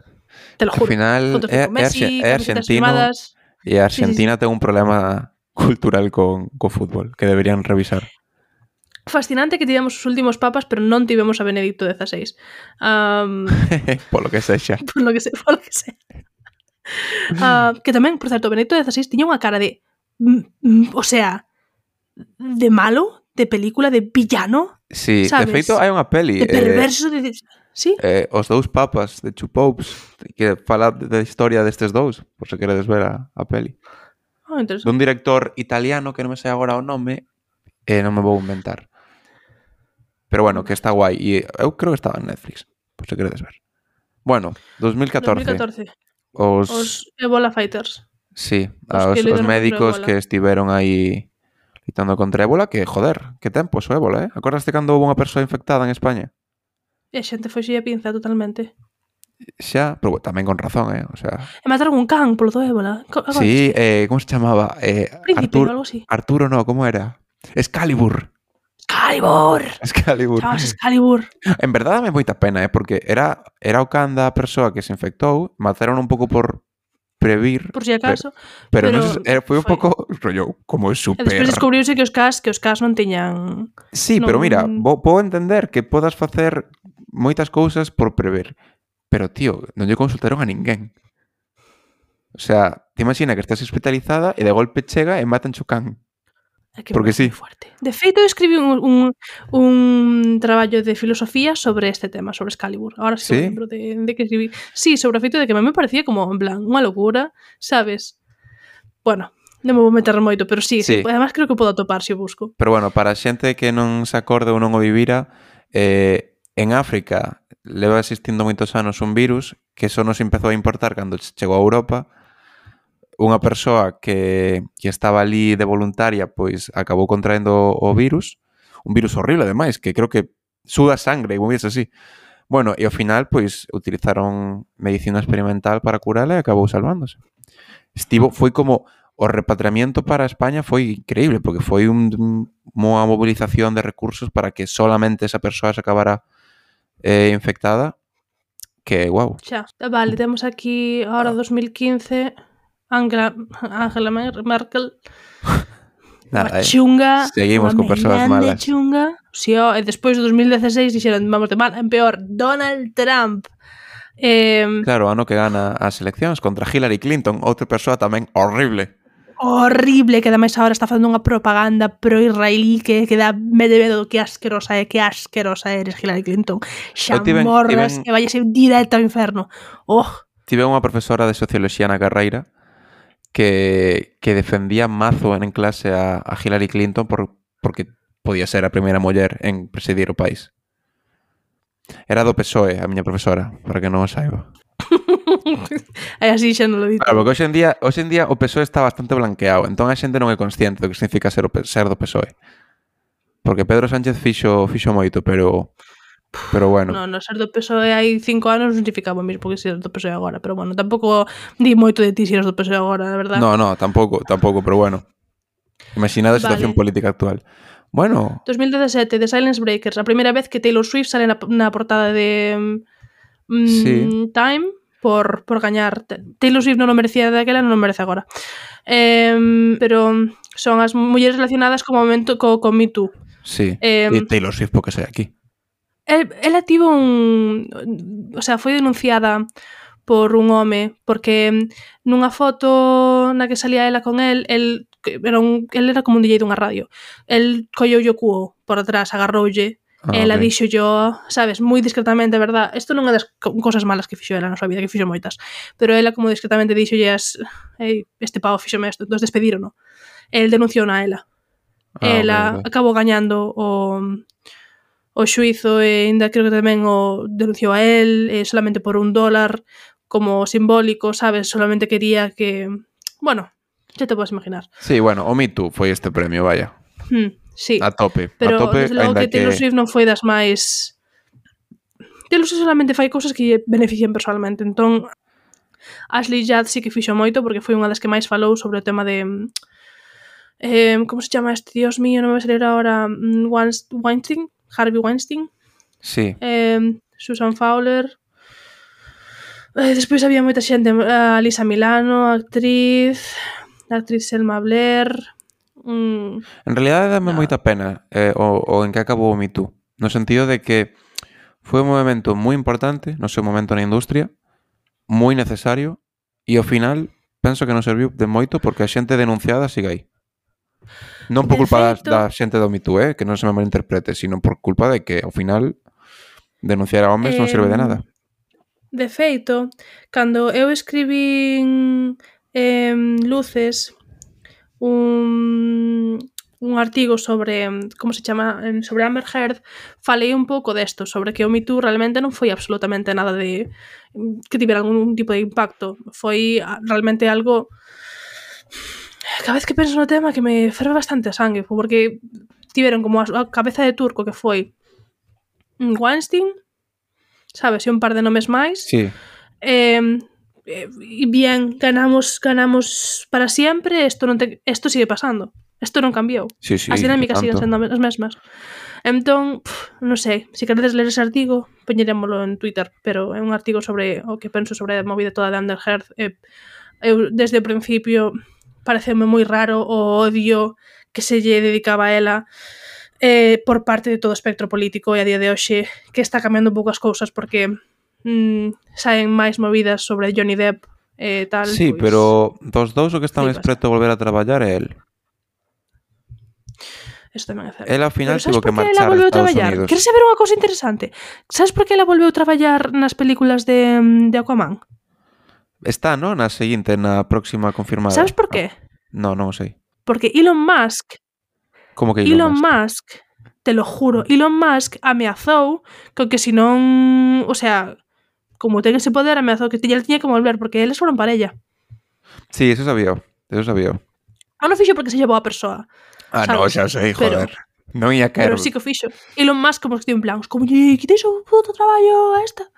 Te lo Ao juro. final Fotos de é, con é, Messi, arxe- é camisetas argentino firmadas. e a Argentina ten un problema cultural con co fútbol que deberían revisar. Fascinante que tivemos os últimos papas, pero non tivemos a Benedicto dieciséis. Um, Polo que sexa. por lo que sei, por lo que sei. Uh, que tamén, por certo, Benedicto dieciséis tiña unha cara de mm, mm, o sea, de malo, de película, de villano, Sí, sabes? de feito hai unha peli de perverso, de, de sí? eh, eh, os dous papas de Two Popes que fala da historia destes dous, por se queredes ver a, a peli. Oh, interesante. Dun director italiano que non me sei agora o nome e non me vou inventar. Pero bueno, que está guai e eu creo que estaba en Netflix, por se queredes ver. Bueno, dos mil catorce. dos mil catorce. Os, Os Ebola Fighters. sí, os os, que os lideran médicos contra a que estiveron aí litando contra a ébola, que joder, que tempo o ébola, eh? Acordaste cando houve unha persoa infectada en España? E a xente foi a pinza totalmente. Xa, pero tamén con razón, eh? O sea, E mataron un can polo do ébola. Co- sí, acordaste? eh, como se chamaba? Eh, Príncipe Artur, ou algo así. Arturo no, como era? Excalibur. Excalibur! Excalibur. Chamamos Excalibur. En verdade dame moita pena, eh? Porque era, era o can da persoa que se infectou, mataron un pouco por previr, Por si acaso. pero, pero non sei, era, foi un foi. pouco rollo como E super... despois descubriuse que os cas que os cas non tiñan. Sí, non... pero mira, vou, vou entender que podas facer moitas cousas por prever, pero tío, non lle consultaron a ninguén. O sea, te imagina que estás hospitalizada e de golpe chega e matan o can. É que porque é moi sí. fuerte. De feito, eu escribí un, un, un traballo de filosofía sobre este tema, sobre Excalibur. Ahora sí, ¿Sí? me lembro de, de que escribí. Sí, sobre o feito de que a mí me parecía como, en plan, unha locura, sabes? Bueno, non me vou meter moito, pero sí, Sí. sí. Además creo que podo atopar se o busco. Pero bueno, para a xente que non se acorde ou non o vivira, eh, en África leva existindo moitos anos un virus que só nos empezou a importar cando chegou a Europa. Unha persoa que, que estaba ali de voluntaria pois acabou contraendo o virus, un virus horrible ademais, que creo que suda sangre e movies así. Bueno, e ao final pois utilizaron medicina experimental para curala e acabou salvándose. Estivo, foi como o repatriamiento para España foi increíble, porque foi un, unha movilización de recursos para que solamente esa persoa se acabara eh, infectada, que guau. Xa, vale, temos aquí ahora dos mil quince Angela, Angela Merkel. Nada, Unha eh. chunga. Seguimos unha con persoas meirande malas. Chunga. Si, oh, e despois do dos mil dieciséis dixeron, vamos de mal en peor, Donald Trump. Eh, Claro, ano que gana as eleccións contra Hillary Clinton, outra persoa tamén horrible. horrible, que ademais agora está facendo unha propaganda pro-israelí que, que dá me de medo, que asquerosa é, que asquerosa eres, Hillary Clinton. Xa Eu tiven- morras tiven- e vayas directo ao inferno. Oh, tive unha profesora de socioloxía na carreira que, que defendía mazo en clase a, a Hillary Clinton por, porque podía ser a primeira muller en presidir o país. Era do P S O E, a miña profesora, para que non o saiba. Aí así xa non lo dito. Claro, porque hoxe en día, hoxe en día o P S O E está bastante blanqueado, entón a xente non é consciente do que significa ser, o, ser do P S O E. Porque Pedro Sánchez fixo, fixo moito, pero pero bueno. No, no ser do P S O E hai cinco anos non significaba o mismo que ser do P S O E agora, pero bueno, tampouco di moito de ti se eres do P S O E agora, a verdade. No, no, tampouco, tampouco, pero bueno. Imaginad a situación Vale. política actual. Bueno, dos mil dezasete, The Silence Breakers, a primeira vez que Taylor Swift sale na, na portada de mm, Sí. Time por, por gañar. Taylor Swift non o merecía daquela, non o merece agora. Eh, pero son as mulleres relacionadas co momento co, co Me Too. sí. Eh, E Taylor Swift porque sei aquí. El, ela tivo un... O sea, foi denunciada por un home porque nunha foto na que salía ela con el, el era, un, el era como un D J dunha radio. El colleu o cuo por atrás, agarroulle, Ah, ela okay. dixo yo, sabes, moi discretamente, verdad? Isto non é das cosas malas que fixo ela na súa vida, que fixo moitas, pero ela como discretamente dixo as, hey, este pavo fixome isto, entón despedirono. El denunciou na ela. Ah, Ela okay, okay. acabou gañando o o xuizo e ainda creo que tamén o denunciou a él eh, solamente por un dólar como simbólico, sabes? Solamente quería que... Bueno, xa te podes imaginar. Sí, bueno, o Me Too foi este premio, vaya. Hmm, sí. A tope, pero a tope, desde logo ainda que Taylor que... Swift non foi das máis... Taylor Swift solamente fai cousas que lle benefician personalmente, entón Ashley Judd sí que fixo moito porque foi unha das que máis falou sobre o tema de... Eh, como se chama este? Dios mío, non me vai salir ahora... Weinstein? Harvey Weinstein? Sí. Eh, Susan Fowler. Eh, despois había moita xente, a Lisa Milano, a actriz, a actriz Selma Blair. Mm, En realidad dame nada. moita pena eh, o, o en que acabou o Me Too, no sentido de que foi un movimento moi importante no seu momento na industria, moi necesario, e ao final penso que non serviu de moito porque a xente denunciada sigue aí. Non por De culpa feito- da, da xente do Me Too, eh, que non se me malinterprete, sino por culpa de que ao final denunciar a homes non serve de Em, nada. De feito, cando eu escribín em, Luces un, un artigo sobre, como se chama, Em, sobre Amber Heard, falei un pouco desto, sobre que o Me Too realmente non foi absolutamente nada de que tivera algún tipo de impacto. Foi ah, realmente algo... Cada vez que penso no tema que me ferve bastante a sangue, porque tiveron como a, a cabeza de turco que foi Weinstein, sabes, e un par de nomes máis. Sí, Eh, eh, y bien, ganamos ganamos para siempre, esto non te, esto sigue pasando. Esto non cambiou. sí, sí. As dinámicas tanto. siguen sendo as mesmas. Entón, pff, non sei, se queredes ler ese artigo, poñerémolo en Twitter, pero é un artigo sobre o que penso sobre a movida toda de Amber Heard. Eh, eu, desde o principio, pareceume moi raro o odio que se lle dedicaba a ela eh, por parte de todo o espectro político e a día de hoxe que está cambiando un pouco as cousas porque mm, saen máis movidas sobre Johnny Depp e tal. Sí, pois, pero dos dous o que está máis flipas. preto a volver a traballar é el. Eso tamén é certo. Ela ao final Pero sabes tivo que por que marchar ela a volveu a Estados traballar? Unidos. Queres saber unha cousa interesante? Sabes por que ela volveu a traballar nas películas de, de Aquaman? Está, non? Na seguinte, na próxima confirmada. Sabes por qué? No, non o sei. Porque Elon Musk Como que Elon Elon Musk? Musk, te lo juro, Elon Musk ameazou con que se non, o sea, como ten ese poder, ameazou que ella tiña que volver porque eles foron parella. Sí, eso sabía. Eso sabía. Non o fixo porque se llevou a persoa. Ah, ¿sabes? no, xa sei, Pero- joder. Non ia caer. Pero sí que o fixo. Elon Musk como que estivo en plan, como lle quitéis o puto traballo a esta.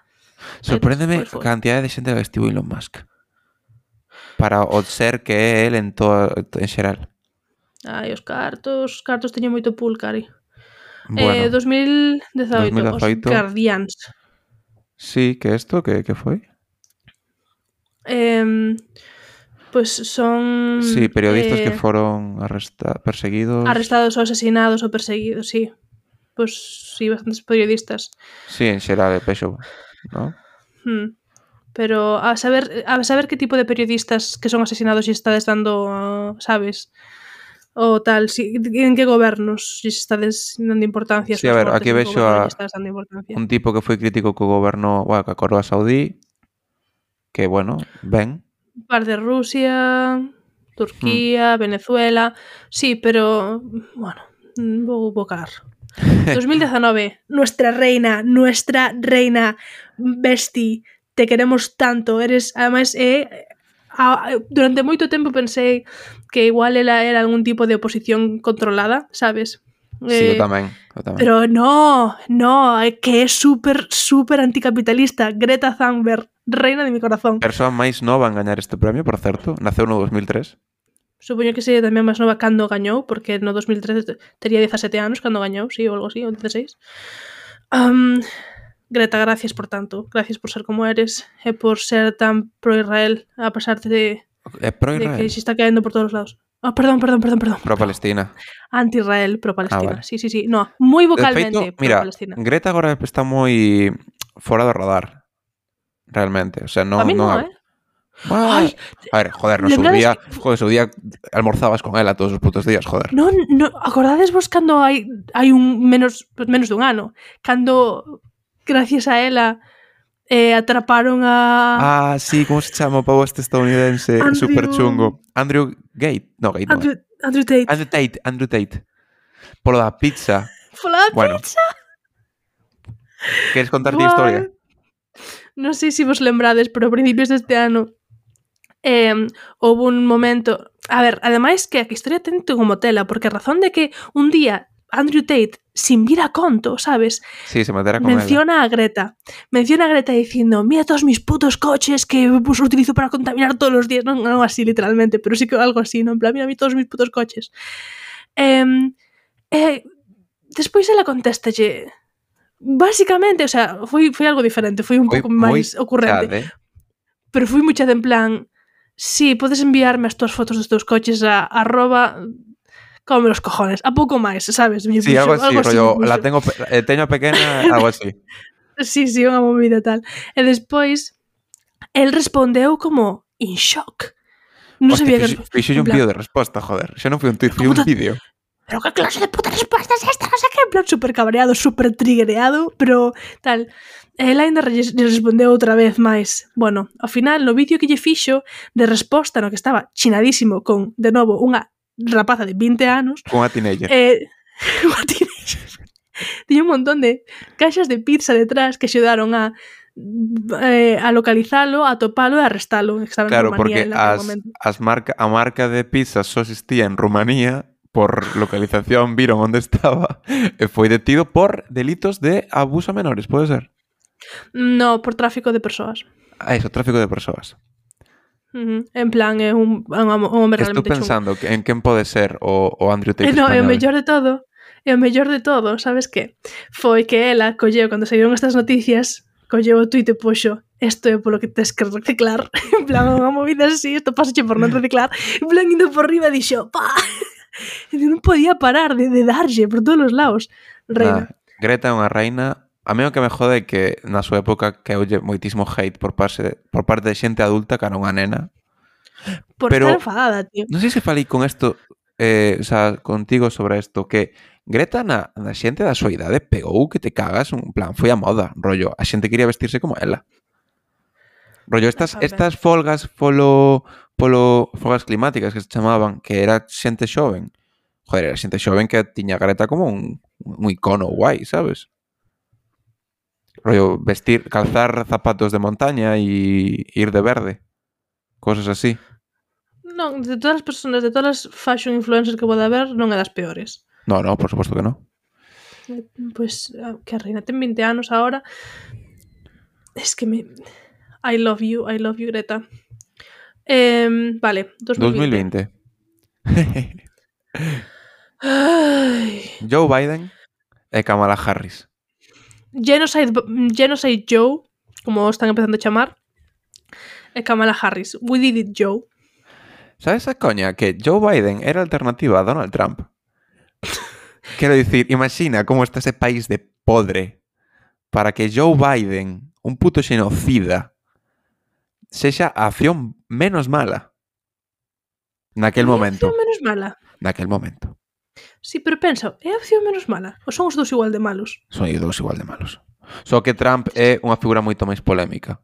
Sorpréndeme Pois a foi. cantidade de xente que estivo Elon Musk. Para o ser que é el en todo en xeral. Ai, os cartos, os cartos teñen moito pool, cari. Bueno, eh, dos mil dezaoito, dos mil dezaoito. os Guardians. sí, que isto, que, que foi? Eh, pues son... Sí, periodistas eh, que foron arresta perseguidos. arrestados ou asesinados ou perseguidos, sí. Pois sí, bastantes periodistas. Sí, en xeral, de pexo, ¿no? Hmm. Pero a saber a saber que tipo de periodistas que son asesinados e estades dando, uh, sabes? O tal, si, en que gobernos lles estades dando importancia. Sí, a ver, aquí vexo a Estades dando importancia. un tipo que foi crítico co goberno, bueno, ca Coroa Saudí, que, bueno, ben. Un par de Rusia, Turquía, mm. Venezuela... Sí, pero, bueno, vou, vou calar. dos mil diecinueve, nuestra reina, nuestra reina Besti, te queremos tanto, eres, además, eh, a, durante moito tempo pensei que igual ela era algún tipo de oposición controlada, sabes? Sí, eh, eu tamén, eu tamén. Pero no, no, é que é super, super anticapitalista. Greta Thunberg, reina de mi corazón. Persoa máis nova en gañar este premio, por certo, naceu no dos mil tres. Supoño que sería tamén máis nova cando gañou, porque no dos mil trece tería dezasete anos cando gañou, sí, ou algo así, ou dieciséis. Um, Greta, gracias por tanto. Gracias por ser como eres e por ser tan pro-Israel, a pesar de, pro de que se está cayendo por todos os lados. Ah, oh, perdón, perdón, perdón, perdón. Pro-Palestina. Anti-Israel, pro-Palestina. Ah, vale. Sí, sí, sí. No, moi vocalmente pro-Palestina. Mira, Greta agora está moi fora do radar. Realmente, o sea, non... A mí non no, ha... eh? Ay, a ver, joder, no seu día, que... joder, seu día almorzabas con ela todos os putos días, joder. Non, no, acordades vos cando hai hai un menos menos dun ano, cando gracias a ela eh, atraparon a Ah, sí, como se chama o pavo este estadounidense Andrew... super chungo? Andrew Gate, no, Gate Andrew, no. Andrew Tate. Andrew Tate, Andrew Tate. Polo da pizza. Polo da bueno. pizza. Queres contarte a historia? Non sei se vos lembrades, pero a principios deste ano eh, houve un momento... A ver, ademais que a historia ten como tela, porque a razón de que un día Andrew Tate, sin vir a conto, sabes? Sí, se meterá con menciona ela. a Greta. Menciona a Greta dicindo, mira todos mis putos coches que pues, utilizo para contaminar todos los días. Non, non así literalmente, pero sí que algo así, non? En plan, mira, mira todos mis putos coches. Eh, eh, despois ela contéstalle... Básicamente, o sea, foi, foi algo diferente, foi un foi pouco máis ocurrente. Chade. Pero foi mucha de en plan, sí, podes enviarme as túas fotos dos teus coches a arroba como los cojones, a pouco máis, sabes? Sí, puxo, algo así, algo rollo, así, la tengo, eh, teño pequena, algo así. Sí, sí, unha movida tal. E despois, el respondeu como in shock. Non sabía que... Fixo un vídeo de resposta, joder. Xa non foi un tweet, foi un vídeo. Pero que clase de puta resposta es esta, no sé qué, en plan super cabreado, super triggereado, pero tal. El ainda lle respondeu outra vez máis. Bueno, ao final, no vídeo que lle fixo de resposta, no que estaba chinadísimo con, de novo, unha rapaza de vinte anos. Unha teenager. Eh, unha teenager. Tiña un montón de caixas de pizza detrás que axudaron a eh, a localizalo, a topalo e a arrestalo. Claro, porque as, as marca, a marca de pizza só existía en Rumanía. Por localización viron onde estaba e foi detido por delitos de abuso a menores, pode ser? No, por tráfico de persoas. Ah, eso, tráfico de persoas. Uh-huh. En plan, é un, un, un hombre realmente chungo. Estou pensando que, en quen pode ser o, o Andrew Tate eh, no, español. E o mellor de todo, e o mellor de todo, sabes que? Foi que ela colleu, cando saíron estas noticias, colleu o tuit e puxo isto é polo que tes que reciclar. En plan, unha movida así, isto pasache por non reciclar. En plan, indo por riba, dixo, pa... E non podía parar de, de darlle por todos os lados. Reina. Ah, Greta é unha reina. A mí o que me jode é que na súa época que houlle moitísimo hate por parte, por parte de xente adulta cara unha nena. Por pero, estar enfadada, tío. Non sei se falei con isto, eh, o sea, contigo sobre isto, que Greta na, na xente da súa idade pegou que te cagas, un plan, foi a moda, rollo. A xente quería vestirse como ela. Rollo, estas, estas folgas polo, polo folgas climáticas que se chamaban, que era xente xoven. Joder, era xente xoven que tiña Greta como un, un icono guai, sabes? Rollo, vestir, calzar zapatos de montaña e ir de verde. Cosas así. Non, de todas as personas, de todas as fashion influencers que pode haber, non é das peores. No, no, por suposto que no. Pois, pues, que a reina ten vinte anos agora. Es que me... I love you, I love you, Greta. Eh, vale, dos mil veinte. dos mil veinte. Joe Biden e Kamala Harris. Genocide, Genocide Joe, como están empezando a chamar, e Kamala Harris. We did it, Joe. ¿Sabes a coña? Que Joe Biden era alternativa a Donald Trump. Quero dicir, imagina como está ese país de podre para que Joe Biden, un puto xenocida, sexa a acción menos mala naquel momento. É a opción menos mala? Naquel momento. Sí, pero pensa, é a opción menos mala? Ou son os dous igual de malos? Son os dous igual de malos. Só que Trump é unha figura moito máis polémica.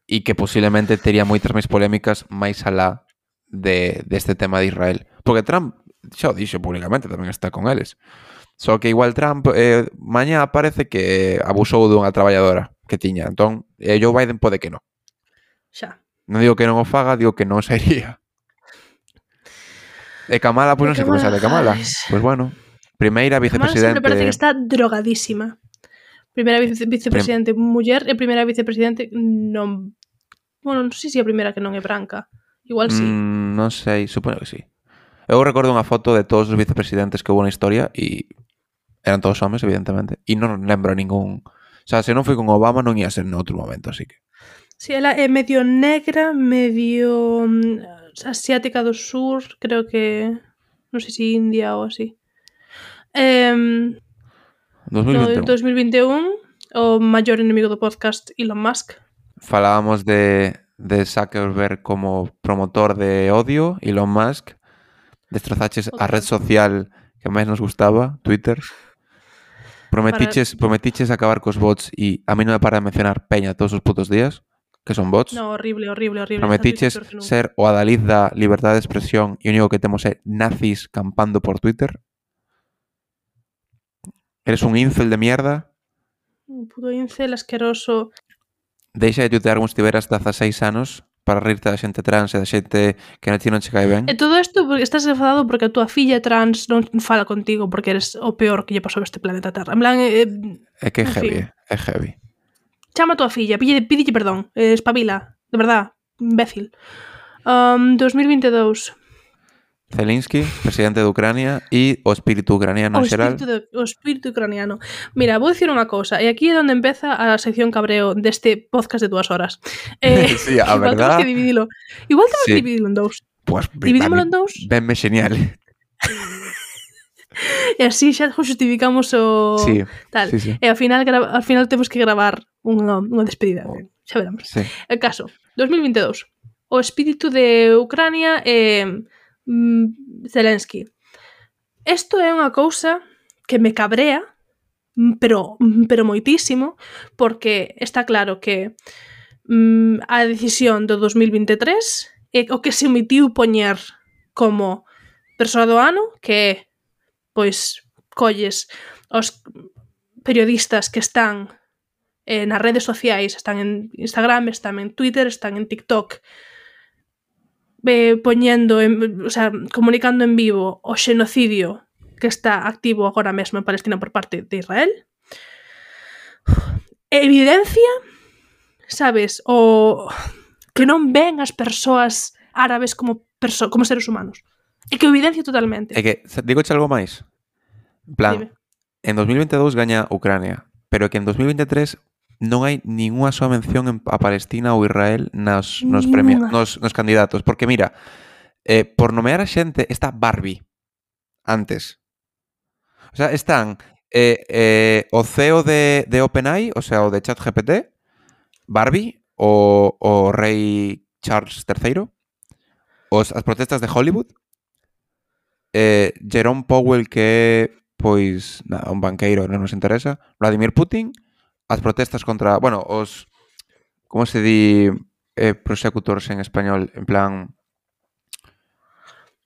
e que posiblemente tería moitas máis polémicas máis alá de, deste tema de Israel. Porque Trump xa o dixo públicamente, tamén está con eles. Só que igual Trump eh, mañá parece que abusou dunha traballadora que tiña. Entón, eh, Joe Biden pode que non. Xa. Non digo que non o faga, digo que non sería. E Kamala, pois non sei como sale Kamala. Pois bueno, primeira vicepresidente... Kamala sempre parece que está drogadísima. Primeira vice vicepresidente Prim... muller e primeira vicepresidente non... Bueno, non sei se a primeira que non é branca. Igual sí. Mm, non sei, supoño que sí. Eu recordo unha foto de todos os vicepresidentes que houve na historia e eran todos homes, evidentemente. E non lembro ningún... O sea, se non foi con Obama non ia ser noutro momento, así que... Sí, ela é medio negra, medio asiática do sur, creo que... Non sei se India ou así. Eh, dos mil vinte e un. No dos mil vinte e un, o maior enemigo do podcast, Elon Musk. Falábamos de, de Zuckerberg como promotor de odio, Elon Musk. Destrozaches a red social que máis nos gustaba, Twitter. Prometiches, Para... prometiches acabar cos bots e a mí non me para de mencionar Peña todos os putos días, que son bots. No, horrible, horrible, horrible. Prometiches ser o adalid da liberdade de expresión e o único que temos é nazis campando por Twitter. Eres un incel de mierda. Un puto incel asqueroso. Deixa de tutear uns tiveras dezaseis anos para rirte da xente trans e da xente que na ti non che cae ben. E todo isto porque estás enfadado porque a túa filla trans non fala contigo porque eres o peor que lle pasou a este planeta Terra. En plan, é, é que é heavy, é heavy. Chama a túa filla, pídelle, pídelle perdón, eh, espabila, de verdad, imbécil. Um, dos mil vinte e dous. Zelensky, presidente de Ucrania, e o espírito ucraniano en xeral. De, o espírito ucraniano. Mira, vou dicir unha cousa, e aquí é onde empeza a sección cabreo deste podcast de dúas horas. Eh, sí, a igual verdad. Temos que dividilo. Igual temos sí. que dividilo en dous. Pues, Dividímolo en dous. Venme xenial. E así xa justificamos o sí, tal. Sí, sí. E ao final, ao final temos que gravar unha, unha despedida. Oh. Xa veremos. Sí. El caso, dos mil vinte e dous. O espírito de Ucrania e mm, Zelensky. Isto é unha cousa que me cabrea, pero, pero moitísimo, porque está claro que mm, a decisión do dos mil vinte e tres é o que se omitiu poñer como persoa do ano, que é pois colles os periodistas que están eh, nas redes sociais, están en Instagram, están en Twitter, están en TikTok, eh, poñendo, en, o sea, comunicando en vivo o xenocidio que está activo agora mesmo en Palestina por parte de Israel. Evidencia, sabes, o que non ven as persoas árabes como, perso como seres humanos. É que evidencia totalmente. É que, digoche algo máis. En plan, Dime. En dos mil vinte e dous gaña Ucrania, pero que en dos mil vinte e tres non hai ninguna soa mención a Palestina ou Israel nas, nos, premia, nos, nos candidatos. Porque mira, eh, por nomear a xente está Barbie antes. O sea, están eh, eh, o C E O de, de OpenAI, o sea, o de ChatGPT, Barbie, o, o rei Charles terceiro, os, as protestas de Hollywood, Eh, Jerome Powell, que é pois nada, un banqueiro, non nos interesa, Vladimir Putin, as protestas contra, bueno, os como se di eh, prosecutors en español, en plan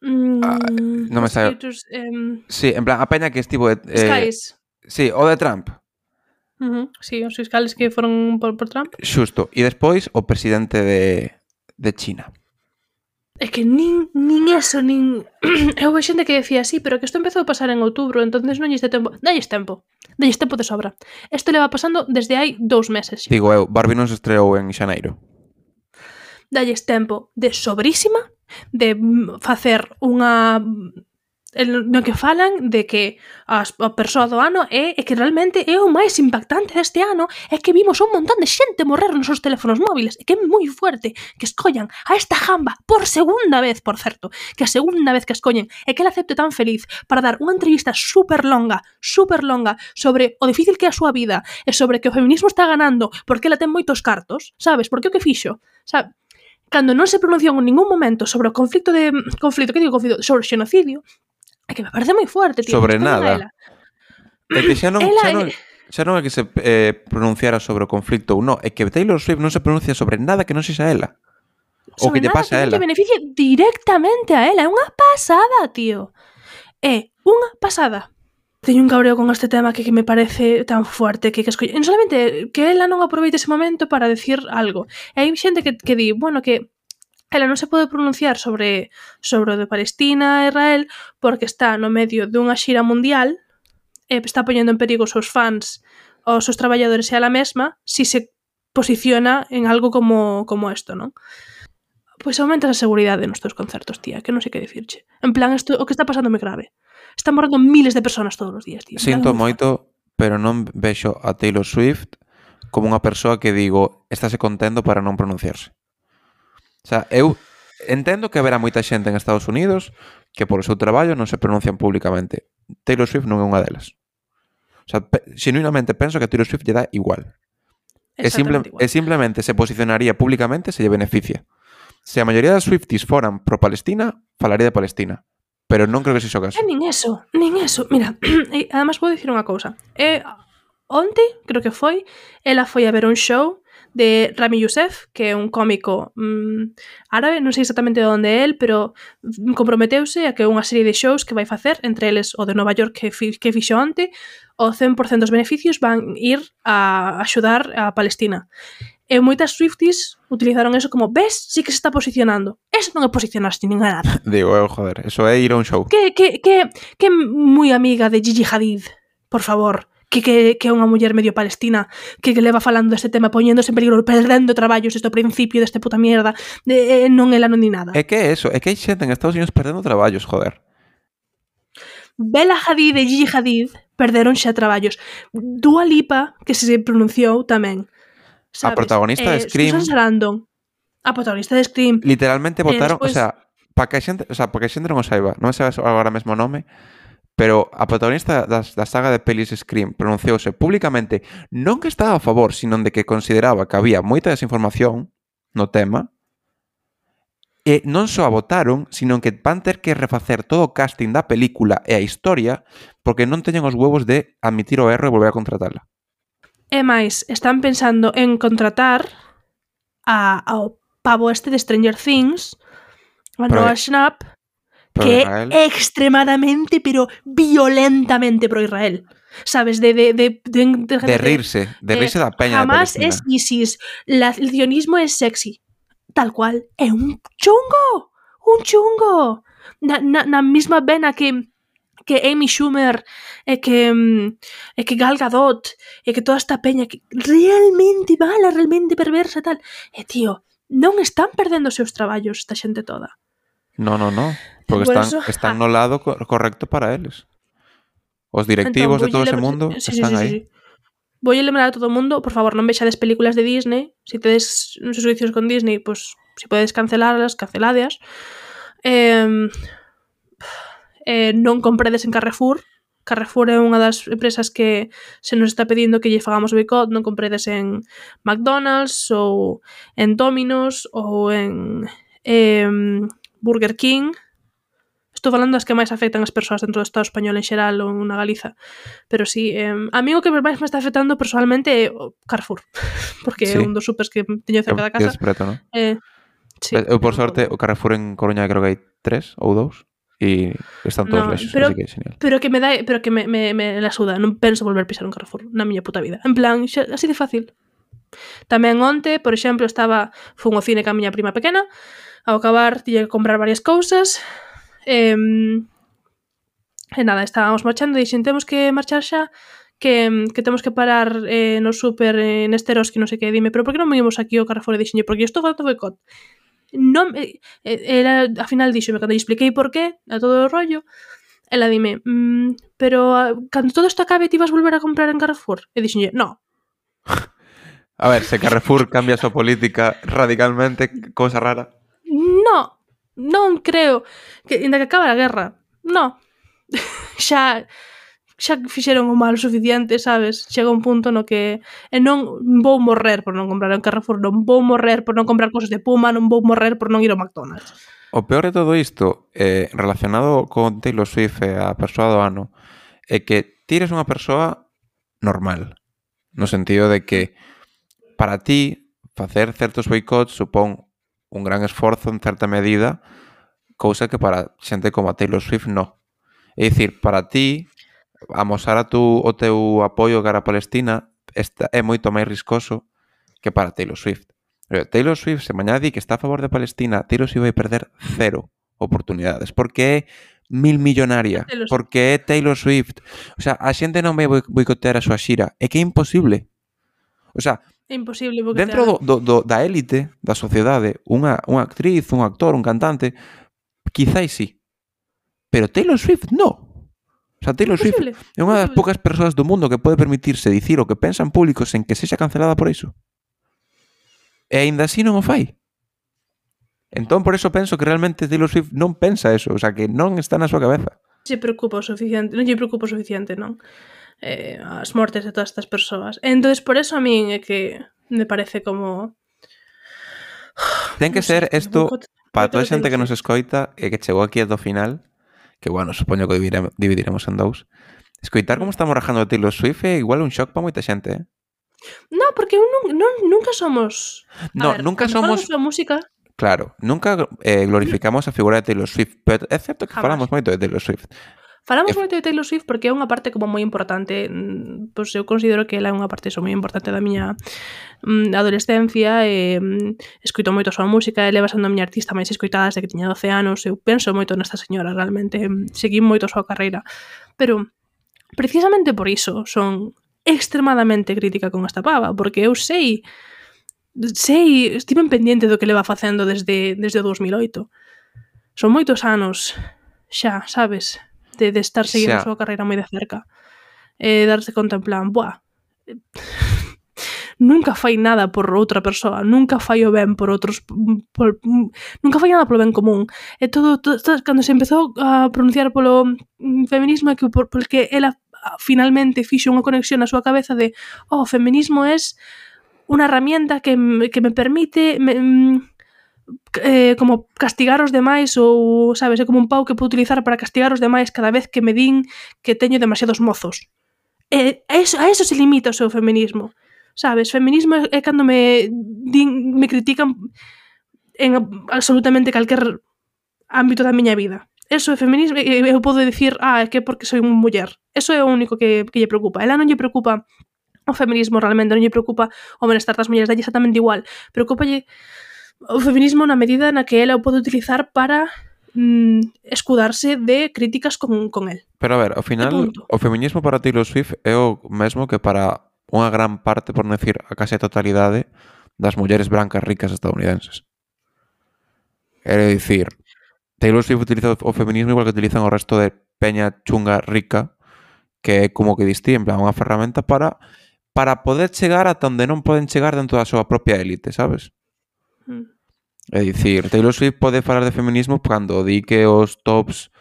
mm, ah, non me sabe. Um... Sí, en plan a peña que estivo eh, Skies. Sí, o de Trump. Uh -huh. Sí, os fiscales que foron por, por Trump. Xusto, e despois o presidente de de China. É que nin, nin eso, nin... Houve xente que decía, sí, pero que isto empezou a pasar en outubro, entonces non lle este tempo. Dalles tempo. Dalles tempo de sobra. Isto leva pasando desde hai dous meses. Xa. Digo eu, Barbie non se estreou en xaneiro. Dalles tempo de sobrísima, de facer unha... no que falan de que a, a persoa do ano é, é que realmente é o máis impactante deste ano é que vimos un montón de xente morrer nos seus teléfonos móviles e que é moi fuerte que escollan a esta jamba por segunda vez, por certo, que a segunda vez que escollen é que ela acepte tan feliz para dar unha entrevista super longa, super longa sobre o difícil que é a súa vida e sobre que o feminismo está ganando porque ela ten moitos cartos, sabes? Porque o que fixo, sabes? Cando non se pronunciou en ningún momento sobre o conflicto de conflicto, que digo conflicto, sobre o xenocidio. É que me parece moi fuerte, tío. Sobre nada. É que xa non, ela, xa non, xa non é que se eh, pronunciara sobre o conflicto ou non, é que Taylor Swift non se pronuncia sobre nada que non sexa ela. O que lle pasa a ela. Que beneficie directamente a ela. É unha pasada, tío. É unha pasada. Teño un cabreo con este tema que, que me parece tan fuerte que, que escolle... Non solamente que ela non aproveite ese momento para decir algo. E hai xente que, que di, bueno, que ela non se pode pronunciar sobre sobre o de Palestina e Israel porque está no medio dunha xira mundial e está poñendo en perigo os seus fans, os seus traballadores e a la mesma si se posiciona en algo como, como esto, non? Pois aumenta a seguridade nos teus concertos, tía, que non sei que dicirche. En plan, isto, o que está pasando me grave. Están morrendo miles de personas todos os días, tío. Sinto moito, pero non vexo a Taylor Swift como unha persoa que digo, estáse contendo para non pronunciarse. O sea, eu entendo que haberá moita xente en Estados Unidos que por o seu traballo non se pronuncian públicamente. Taylor Swift non é unha delas. O sea, pe- genuinamente penso que a Taylor Swift lle dá igual. E, simple, igual. e simplemente se posicionaría públicamente se lle beneficia. Se a maioría das Swifties foran pro Palestina, falaría de Palestina. Pero non creo que se xo caso. É nin eso, nin eso. Mira, e además vou dicir unha cousa. Eh, onte, creo que foi, ela foi a ver un show de Rami Youssef, que é un cómico mmm, árabe, non sei exactamente de onde é el, pero comprometeuse a que unha serie de shows que vai facer, entre eles o de Nova York que, fi, que fixo onte, o cen por cento dos beneficios van ir a axudar a Palestina. E moitas Swifties utilizaron eso como, ves, sí que se está posicionando. Eso non é posicionarse nin nada. Digo, eu, joder, eso é ir a un show. Que, que, que, que moi amiga de Gigi Hadid, por favor, que, que, que é unha muller medio palestina, que, que leva falando deste tema, poñéndose en peligro, perdendo traballos desde o principio deste puta mierda, de, eh, non ela non di nada. É que é eso, é que hai xente en Estados Unidos perdendo traballos, joder. Bella Hadid e Gigi Hadid perderon xa traballos. Dua Lipa, que se pronunciou tamén. A ¿sabes? protagonista de eh, Scream. Susan Sarandon. A protagonista de Scream. Literalmente votaron, eh, después... o sea, para que a xente, o sea, para que a xente non o saiba, non me sabe agora mesmo o nome, pero a protagonista da, da saga de pelis Scream pronunciouse públicamente non que estaba a favor, sino de que consideraba que había moita desinformación no tema, e non só a votaron, sino que van ter que refacer todo o casting da película e a historia porque non teñen os huevos de admitir o erro e volver a contratala. E máis, están pensando en contratar a, ao pavo este de Stranger Things, a Noah Schnapp, que é extremadamente, pero violentamente pro Israel. Sabes, de... De, de, de, de, de rirse, de rirse eh, da peña de Palestina. Jamás es ISIS. La, el sionismo es sexy. Tal cual. É un chungo! Un chungo! Na, na, na mesma vena que... que Amy Schumer e que e que Gal Gadot e que toda esta peña que realmente mala, realmente perversa e tal. E tío, non están perdendo os seus traballos esta xente toda. No, no, no, porque Por están, eso, están ah, no lado correcto para eles. Os directivos entón, de todo ese mundo sí, están sí, sí, aí. Sí, sí. Vou a lembrar a todo o mundo, por favor, non vexades películas de Disney. Si tedes uns servicios con Disney, pues si podedes cancelarlas, canceladias. Eh... Eh, non compredes en Carrefour. Carrefour é unha das empresas que se nos está pedindo que lle fagamos boicot. Non compredes en McDonald's ou en Domino's ou en eh, Burger King. Estou falando das que máis afectan as persoas dentro do Estado español en xeral ou na Galiza. Pero sí, eh, a mí o que máis me está afectando personalmente é o Carrefour. Porque sí. É un dos supers que teño cerca da casa. Despreto, non? Eh, sí. Eu, por sorte, o Carrefour en Coruña creo que hai tres ou dous. E están todos no, lexos, pero, así que é genial. Pero que me dá, pero que me, me, me la suda, non penso volver a pisar un Carrefour na miña puta vida. En plan, xa, así de fácil. Tamén onte, por exemplo, estaba fun ao cine ca miña prima pequena, ao acabar tiña que comprar varias cousas. E, e nada, estábamos marchando e dixen, temos que marchar xa, que, que temos que parar eh, no super eh, neste Eroski, non sei que, dime, pero por que non vimos aquí ao Carrefour? E dixen, porque eu estou falando boicot. Non, ela, ao final díxome, cando lle expliquei por qué a todo o rollo, ela dime mmm, pero cando todo isto acabe ti vas volver a comprar en Carrefour? E dixenlle, no. A ver, se Carrefour cambia a súa política radicalmente, cousa rara. No, non creo que, ainda que acaba a guerra, no. xa xa fixeron o mal suficiente, sabes? Chega un punto no que e non vou morrer por non comprar en Carrefour, non vou morrer por non comprar cosas de Puma, non vou morrer por non ir ao McDonald's. O peor de todo isto, eh, relacionado con Taylor Swift e a persoa do ano, é que tires unha persoa normal. No sentido de que para ti facer certos boicots supón un gran esforzo en certa medida, cousa que para xente como a Taylor Swift no. É dicir, para ti amosar a tu, o teu apoio cara a Palestina esta, é moito máis riscoso que para Taylor Swift. Pero Taylor Swift, se mañá di que está a favor de Palestina, Taylor Swift vai perder cero oportunidades, porque é mil millonaria, Taylor Swift. porque é Taylor Swift. O sea, a xente non vai boicotear a súa xira, é que é imposible. O sea, É imposible porque dentro do, do, do, da élite da sociedade, unha, unha actriz, un actor, un cantante, quizáis sí, pero Taylor Swift no. O sea, Taylor Swift é unha das poucas persoas do mundo que pode permitirse dicir o que pensa en público sen que sexa cancelada por iso. E aínda así non o fai. Entón, por eso penso que realmente Taylor Swift non pensa eso, o sea, que non está na súa cabeza. Se preocupa o suficiente, non lle preocupa o suficiente, non? Eh, as mortes de todas estas persoas. Entonces, por eso a min é que me parece como... Ten que non ser sei, isto boicot- para toda a boicot xente de que nos Taylor Swift. escoita e que chegou aquí do final, que, bueno, supoño que dividiremos, dividiremos en dous. Escoitar como estamos rajando de Taylor Swift é igual un shock para moita xente, eh? No, porque eu non, non, nunca somos... A No, ver, nunca cando falamos somos... da música, Claro, nunca eh, glorificamos a figura de Taylor Swift, pero é certo que Jamás. falamos moito de Taylor Swift. falamos E- moito de Taylor Swift porque é unha parte como moi importante, mm, pois eu considero que ela é unha parte so moi importante da miña mm, adolescencia, e mm, escoito moito a súa música, e leva sendo a miña artista máis escoitada desde que tiña doce anos, eu penso moito nesta señora, realmente, mm, seguí moito a súa carreira, pero precisamente por iso son extremadamente crítica con esta pava, porque eu sei sei, estive pendiente do que leva facendo desde, desde o dos mil oito. Son moitos anos xa, sabes, de, de estar seguindo Xa. a súa carreira moi de cerca. E darse conta en plan, buah, nunca fai nada por outra persoa, nunca fai o ben por outros, por, nunca fai nada polo ben común. E todo, todo, todo cando se empezou a pronunciar polo feminismo, é que por, porque ela finalmente fixo unha conexión na súa cabeza de, oh, o feminismo es unha herramienta que, que me permite me, eh, como castigar os demais, ou, sabes, é como un pau que podo utilizar para castigar os demais cada vez que me din que teño demasiados mozos. E a eso, a eso se limita o seu feminismo. Sabes, feminismo é, é cando me din, me critican en absolutamente calquer ámbito da miña vida. Eso é feminismo, e eu podo dicir, ah, é que porque soy unha muller. Eso é o único que, que lle preocupa. Ela non lle preocupa o feminismo realmente, non lle preocupa o benestar das mulleres, dalle exactamente igual. Preocúpalle o feminismo na medida na que ela o pode utilizar para mm, escudarse de críticas con, con el. Pero a ver, ao final, punto. o feminismo para Taylor Swift é o mesmo que para unha gran parte, por non decir a case a totalidade, das mulleres brancas ricas estadounidenses. É dicir, Taylor Swift utiliza o feminismo igual que utilizan o resto de peña chunga rica, que é como que distí, en plan, unha ferramenta para para poder chegar ata onde non poden chegar dentro da súa propia élite, sabes? Mm. É dicir, Taylor Swift pode falar de feminismo cando di que os tops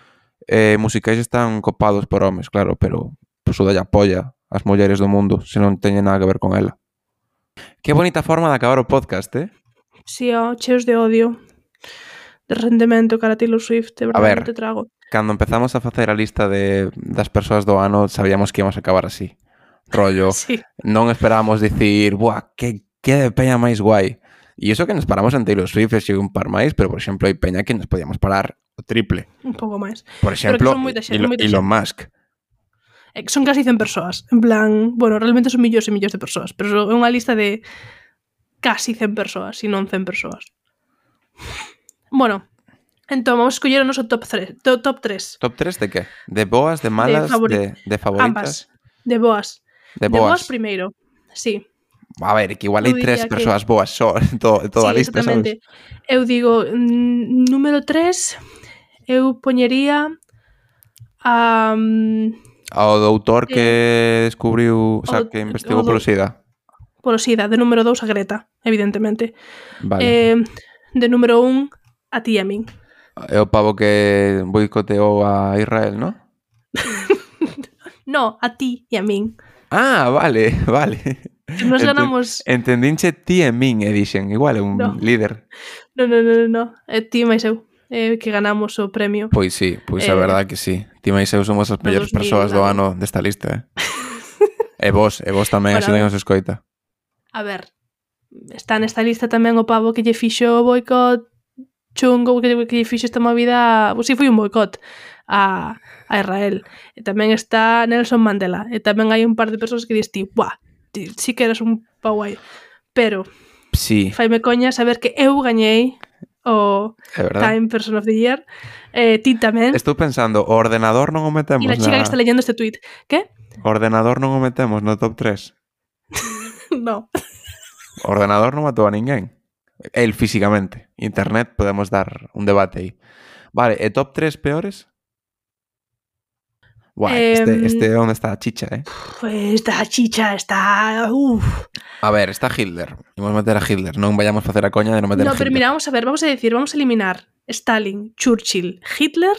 eh, musicais están copados por homes, claro, pero pues, o dalle apoia as mulleres do mundo se non teñen nada que ver con ela. Que bonita forma de acabar o podcast, eh? Si, ó, cheos de odio, de rendemento cara a Taylor Swift, de verdade, ver. non te trago. Cando empezamos a facer a lista de, das persoas do ano, sabíamos que íamos a acabar así. Rollo, Sí. non esperábamos dicir, buah, que, que de peña máis guai. E iso que nos paramos en Taylor Swift e un par máis, pero, por exemplo, hai peña que nos podíamos parar o triple. Un pouco máis. Por exemplo, son moita xente, Elon, moita Elon xente. Musk. Eh, Son casi cen persoas. En plan, bueno, realmente son millóns e millóns de persoas, pero é unha lista de casi cen persoas, se non cen persoas. Bueno, entón vamos a escoller o noso top tres. To, top tres. Top tres de que? De boas, de malas, de, favori- de favoritas? Ambas. De boas. De De boas boas. primeiro. Sí. A ver, que igual hai Eu tres diría que- persoas boas só en to, en toda a sí, lista, exactamente. sabes? Eu digo, mm, número tres, eu poñería a... Um, Ao doutor que descubriu, o sea, o- que investigou o do- polo SIDA. polo SIDA, de número dous a Greta, evidentemente. Vale. Eh, de número un a ti e a min. É o pavo que boicoteou a Israel, ¿no? No, a ti e a min. Ah, vale, vale. Nos Enten- ganamos... Entendinche ti e min, e dixen, igual é un No. líder. No, no, no, no, no. Eh, ti máis eu, eh, que ganamos o premio. Pois sí, pois é Eh, verdade que sí. Ti máis eu somos as mellores dos mil persoas do ano. ano desta lista, eh? E vos, e vos tamén, Bueno, así non se escoita. A ver, está nesta lista tamén o pavo que lle fixo o boicot chungo, que, que lle fixo esta movida, pois si foi un boicot a, a Israel. E tamén está Nelson Mandela. E tamén hai un par de persoas que dis ti, buah, ti, si que eres un pau aí. Pero, Sí, faime coña saber que eu gañei o é verdad. Time Person of the Year. Eh, ti tamén. Estou pensando, o ordenador non o metemos E la chica na... que está leyendo este tweet. Que? O ordenador non o metemos no top tres. No. O ordenador non matou a ninguén. El físicamente. Internet podemos dar un debate aí. Vale, e top tres peores? Buah, Eh, este, este é onde está a chicha, eh? Pues está chicha, está... Uf. A ver, está Hitler. Imos meter a Hitler. Non vayamos facer a coña de non meter No, a Hitler. pero mira, vamos a ver, vamos a decir, vamos a eliminar Stalin, Churchill, Hitler,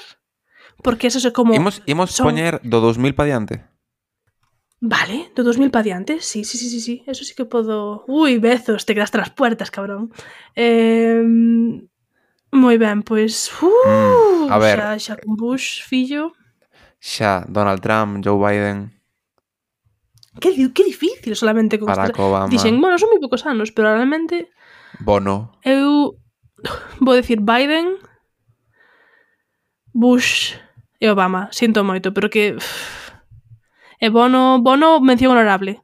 porque eso es como... Imos, imos son... poñer do dos mil pa diante. Vale, do dos mil pa diante, sí, sí, sí, sí, sí, eso sí que podo... Ui, bezos, te quedaste las puertas, cabrón. Eh... Moi ben, pois... Uh, Mm, a ver. Xa, xa con Bush, fillo... Xa, Donald Trump, Joe Biden, Que, que difícil solamente con Barack estos... Obama, Dixen, bueno, son moi poucos anos, pero realmente Bono. eu vou decir Biden, Bush e Obama. Sinto moito, pero que... E Bono, Bono mención honorable.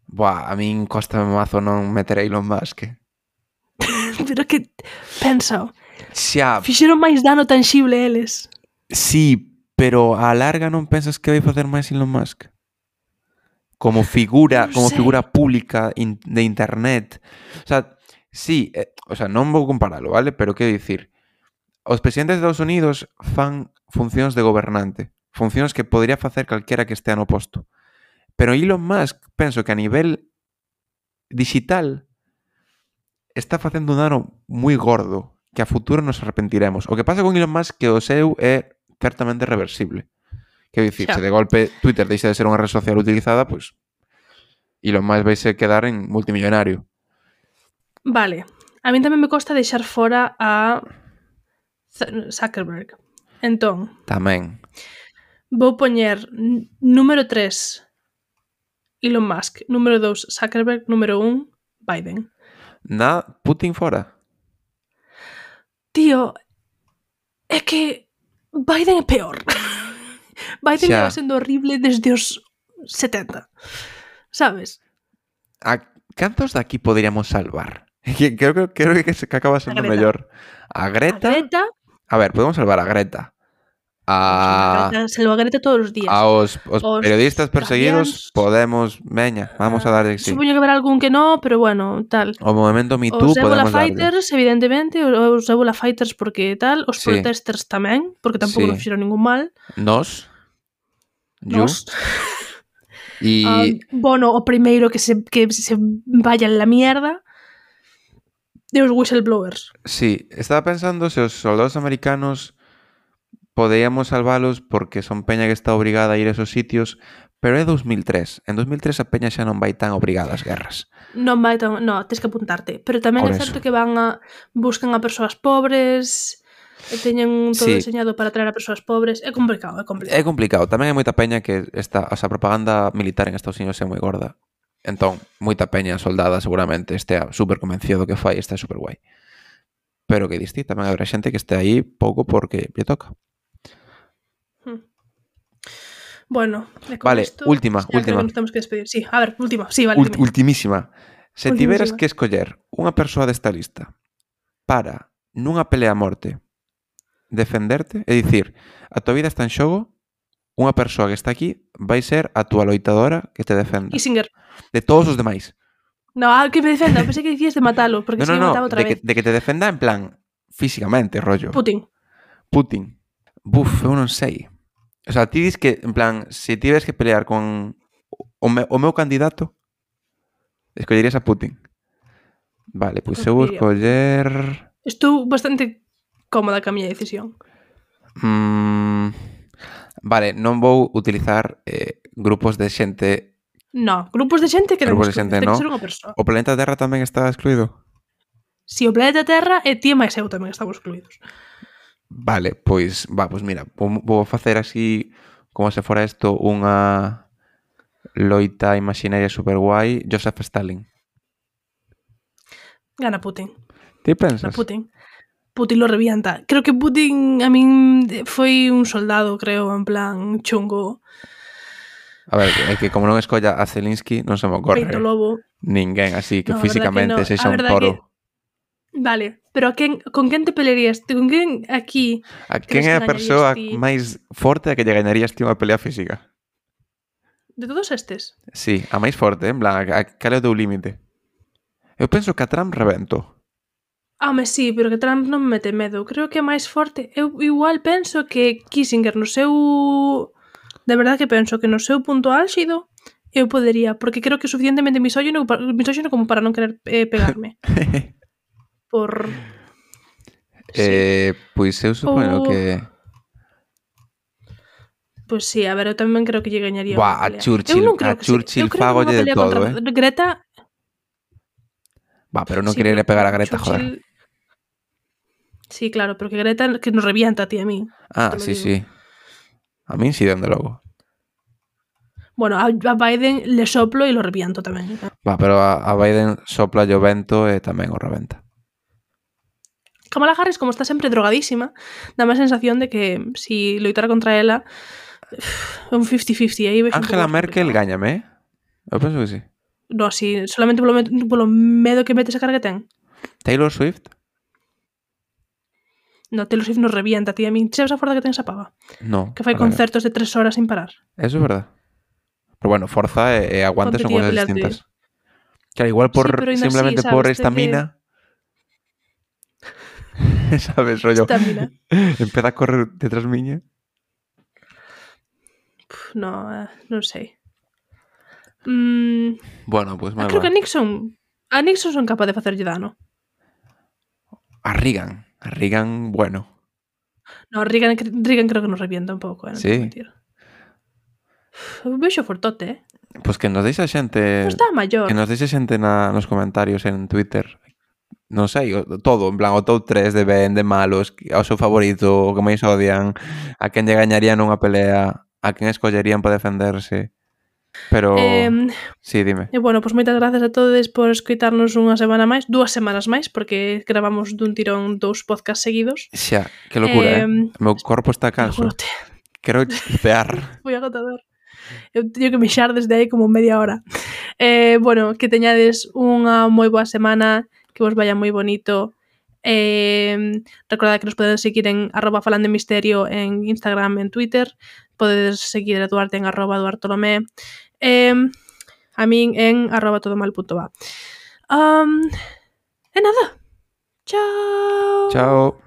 Buah, a min costa mazo non meter a Elon Musk. Pero que, pensa, Xa, fixeron máis dano tangible eles. sí, pero a larga non pensas que vai facer máis Elon Musk? Como figura, Non como sei. figura pública in, de internet. O sea, sí, eh, o sea, non vou comparalo, vale? Pero quero dicir, os presidentes de Estados Unidos fan funcións de gobernante, funcións que podría facer calquera que estea no posto. Pero Elon Musk, penso que a nivel digital está facendo un dano moi gordo, que a futuro nos arrepentiremos. O que pasa con Elon Musk que o seu é certamente reversible. Quero dicir, Xa. se de golpe Twitter deixa de ser unha red social utilizada, pois Elon Musk vai se quedar en multimillonario. Vale. A min tamén me costa deixar fora a Z- Zuckerberg. Entón, Tamén. vou poñer n- número tres Elon Musk, número dos Zuckerberg, número un Biden. Na Putin fora. Tío, é que Biden é peor. Biden Xa. leva sendo horrible desde os setenta. Sabes? A cantos de aquí poderíamos salvar? Que- Creo que creo que, se- que acaba sendo Greta. mellor. A A Greta. Greta, A ver, podemos salvar a Greta. A a... Greta, se lo a Greta todos os días. aos os Os periodistas perseguidos guardians. podemos, veña, vamos a darlle que sí. Supoño que habrá algún que no, pero bueno, tal. O movemento Me Too Os Ebola podemos darlle. Fighters, evidentemente, os Ebola Fighters porque tal, os Sí. protesters tamén, porque tampouco Sí. nos fixeron ningún mal. Nos. You. Nos. E Um, Bono, o primeiro que se, que se vaya en la mierda. E os whistleblowers. sí, estaba pensando se os soldados americanos podíamos salvalos porque son peña que está obrigada a ir a esos sitios, pero é dos mil tres. En dos mil tres a peña xa non vai tan obrigada ás guerras. Non vai tan... No, tens que apuntarte. Pero tamén Por é eso. certo que van a... Buscan a persoas pobres... E teñen todo Sí. diseñado para traer a persoas pobres. É complicado, é complicado. É complicado. Tamén hai moita peña que está, o sea, a propaganda militar en Estados Unidos é moi gorda. Entón, moita peña soldada seguramente estea super convencido do que fai, está super guai. Pero que diste, tamén habrá xente que este aí pouco porque lle toca. Bueno, e con Vale, esto, última, ya creo última. que nos temos que despedir. Sí, a ver, última. Sí, vale, Ult- dime. ultimísima. Se Ultimísima. tiveras que escoller unha persoa desta lista para, nunha pelea a morte, defenderte, é dicir, a tua vida está en xogo, unha persoa que está aquí vai ser a tua loitadora que te defenda. Kissinger. De todos os demais. No, ah, que me defenda. Pensei que dicías de matalo, porque No, si no, me no, mataba outra de que, vez. de que te defenda en plan físicamente, rollo. Putin. Putin. Buf, eu non sei. O sea, ti dis que, en plan, se tiveres que pelear con o, me, o meu candidato, escollerías a Putin. Vale, pois eu vou Preferiría. escoller... Estou bastante cómoda ca miña decisión. Mm, vale, non vou utilizar eh, grupos de xente. No, grupos de xente que non Grupos de xente, ten no. que ser unha persoa. O planeta Terra tamén está excluído? Si o planeta Terra e ti e máis eu tamén estamos excluídos. Vale, pois, va, pois mira, vou, vou facer así como se fora isto unha loita imaxinaria super guai, Joseph Stalin. Gana Putin. Ti Gana pensas? Putin. Putin lo revienta. Creo que Putin a min foi un soldado, creo, en plan chungo. A ver, é que como non escolla a Zelensky, non se me ocorre Peito lobo. ninguén así que No, a verdad físicamente que no. sexa A un verdad toro. que- Vale, pero a quen, con quen te pelearías? Con quen aquí? A crees quen é que a persoa gañarías ti? máis forte a que lle gañarías ti unha pelea física? De todos estes? Sí, a máis forte, en plan, a, a cal é o teu límite? Eu penso que a Trump rebento. Ah, me sí, pero que Trump non me mete medo. Creo que é máis forte. Eu igual penso que Kissinger no seu... De verdade que penso que no seu punto álxido eu podería, porque creo que é suficientemente misógino, misógino como para non querer eh, pegarme. Por... eh, pois eu supoño O- que... Pois sí, a ver, eu tamén creo que lle gañaría Buah, unha a pelea. Churchill- eu non creo a que se- Churchill eu creo que unha fágolle de pelea todo, contra eh. Greta... Va, pero non Sí, quería pero pegar a Greta, joder. Churchill- Sí, claro, pero que Greta que nos revienta a ti e a mí. Ah, te lo sí, digo. sí. A min sí, dende logo. Bueno, a a Biden le soplo e lo reviento tamén. Va, pero a, a Biden sopla o vento e tamén o rebenta. Kamala Harris, como está sempre drogadísima, dá má sensación de que si loitara contra ela é un cincuenta cincuenta. Aí vexo un Angela pouco máis Merkel complicado. gáñame, eh? Eu penso que sí. No, si, solamente polo, met- polo medo que mete esa cara que ten. Taylor Swift? No, Taylor Swift nos revienta, tía. A mí, sabes a forza que ten esa pava? No. Que fai a ver. concertos de tres horas sin parar. Eso é verdad. Pero bueno, forza e, e aguante Ponte son ti a cosas pelearte. distintas. Claro, igual por Sí, pero aínda simplemente así, por sabes, ten estamina. ¿Sabes, rollo? Estamina. Empeza a correr detrás miña. Puf, no, eh, non sei. Mm, Bueno, pois pues, ah, creo que a Nixon a Nixon son capaz de facerlle dano. A Reagan. A Reagan, bueno. No, Reagan, Reagan creo que nos revienta un pouco, eh, non Sí. te vou mentir. Uf, eu vexo fortote, eh. Pois pues que nos deixa xente... Non está maior. Que nos deixe xente na, nos comentarios en Twitter. Non sei, o- todo, en plan, o top tres de ben, de malos, o seu favorito, o que máis odian, a quen lle gañarían unha pelea, a quen escollerían para defenderse. Pero... Eh, sí, dime. e bueno, pois pues moitas gracias a todos por escoitarnos unha semana máis, dúas semanas máis, porque gravamos dun tirón dous podcasts seguidos. Xa, que locura, eh? Eh, O meu corpo está canso. Júrote, Quero cear. foi agotador. Eu teño que mexar desde aí como media hora. Eh, bueno, que teñades unha moi boa semana, que vos vaya moi bonito. Eh, recordad que nos podedes seguir en arroba falando de misterio en Instagram, en Twitter. Podedes seguir a Duarte en arroba duartolomé. Eh, a min en arroba todomal.va. Um, e nada. Chao. Chao.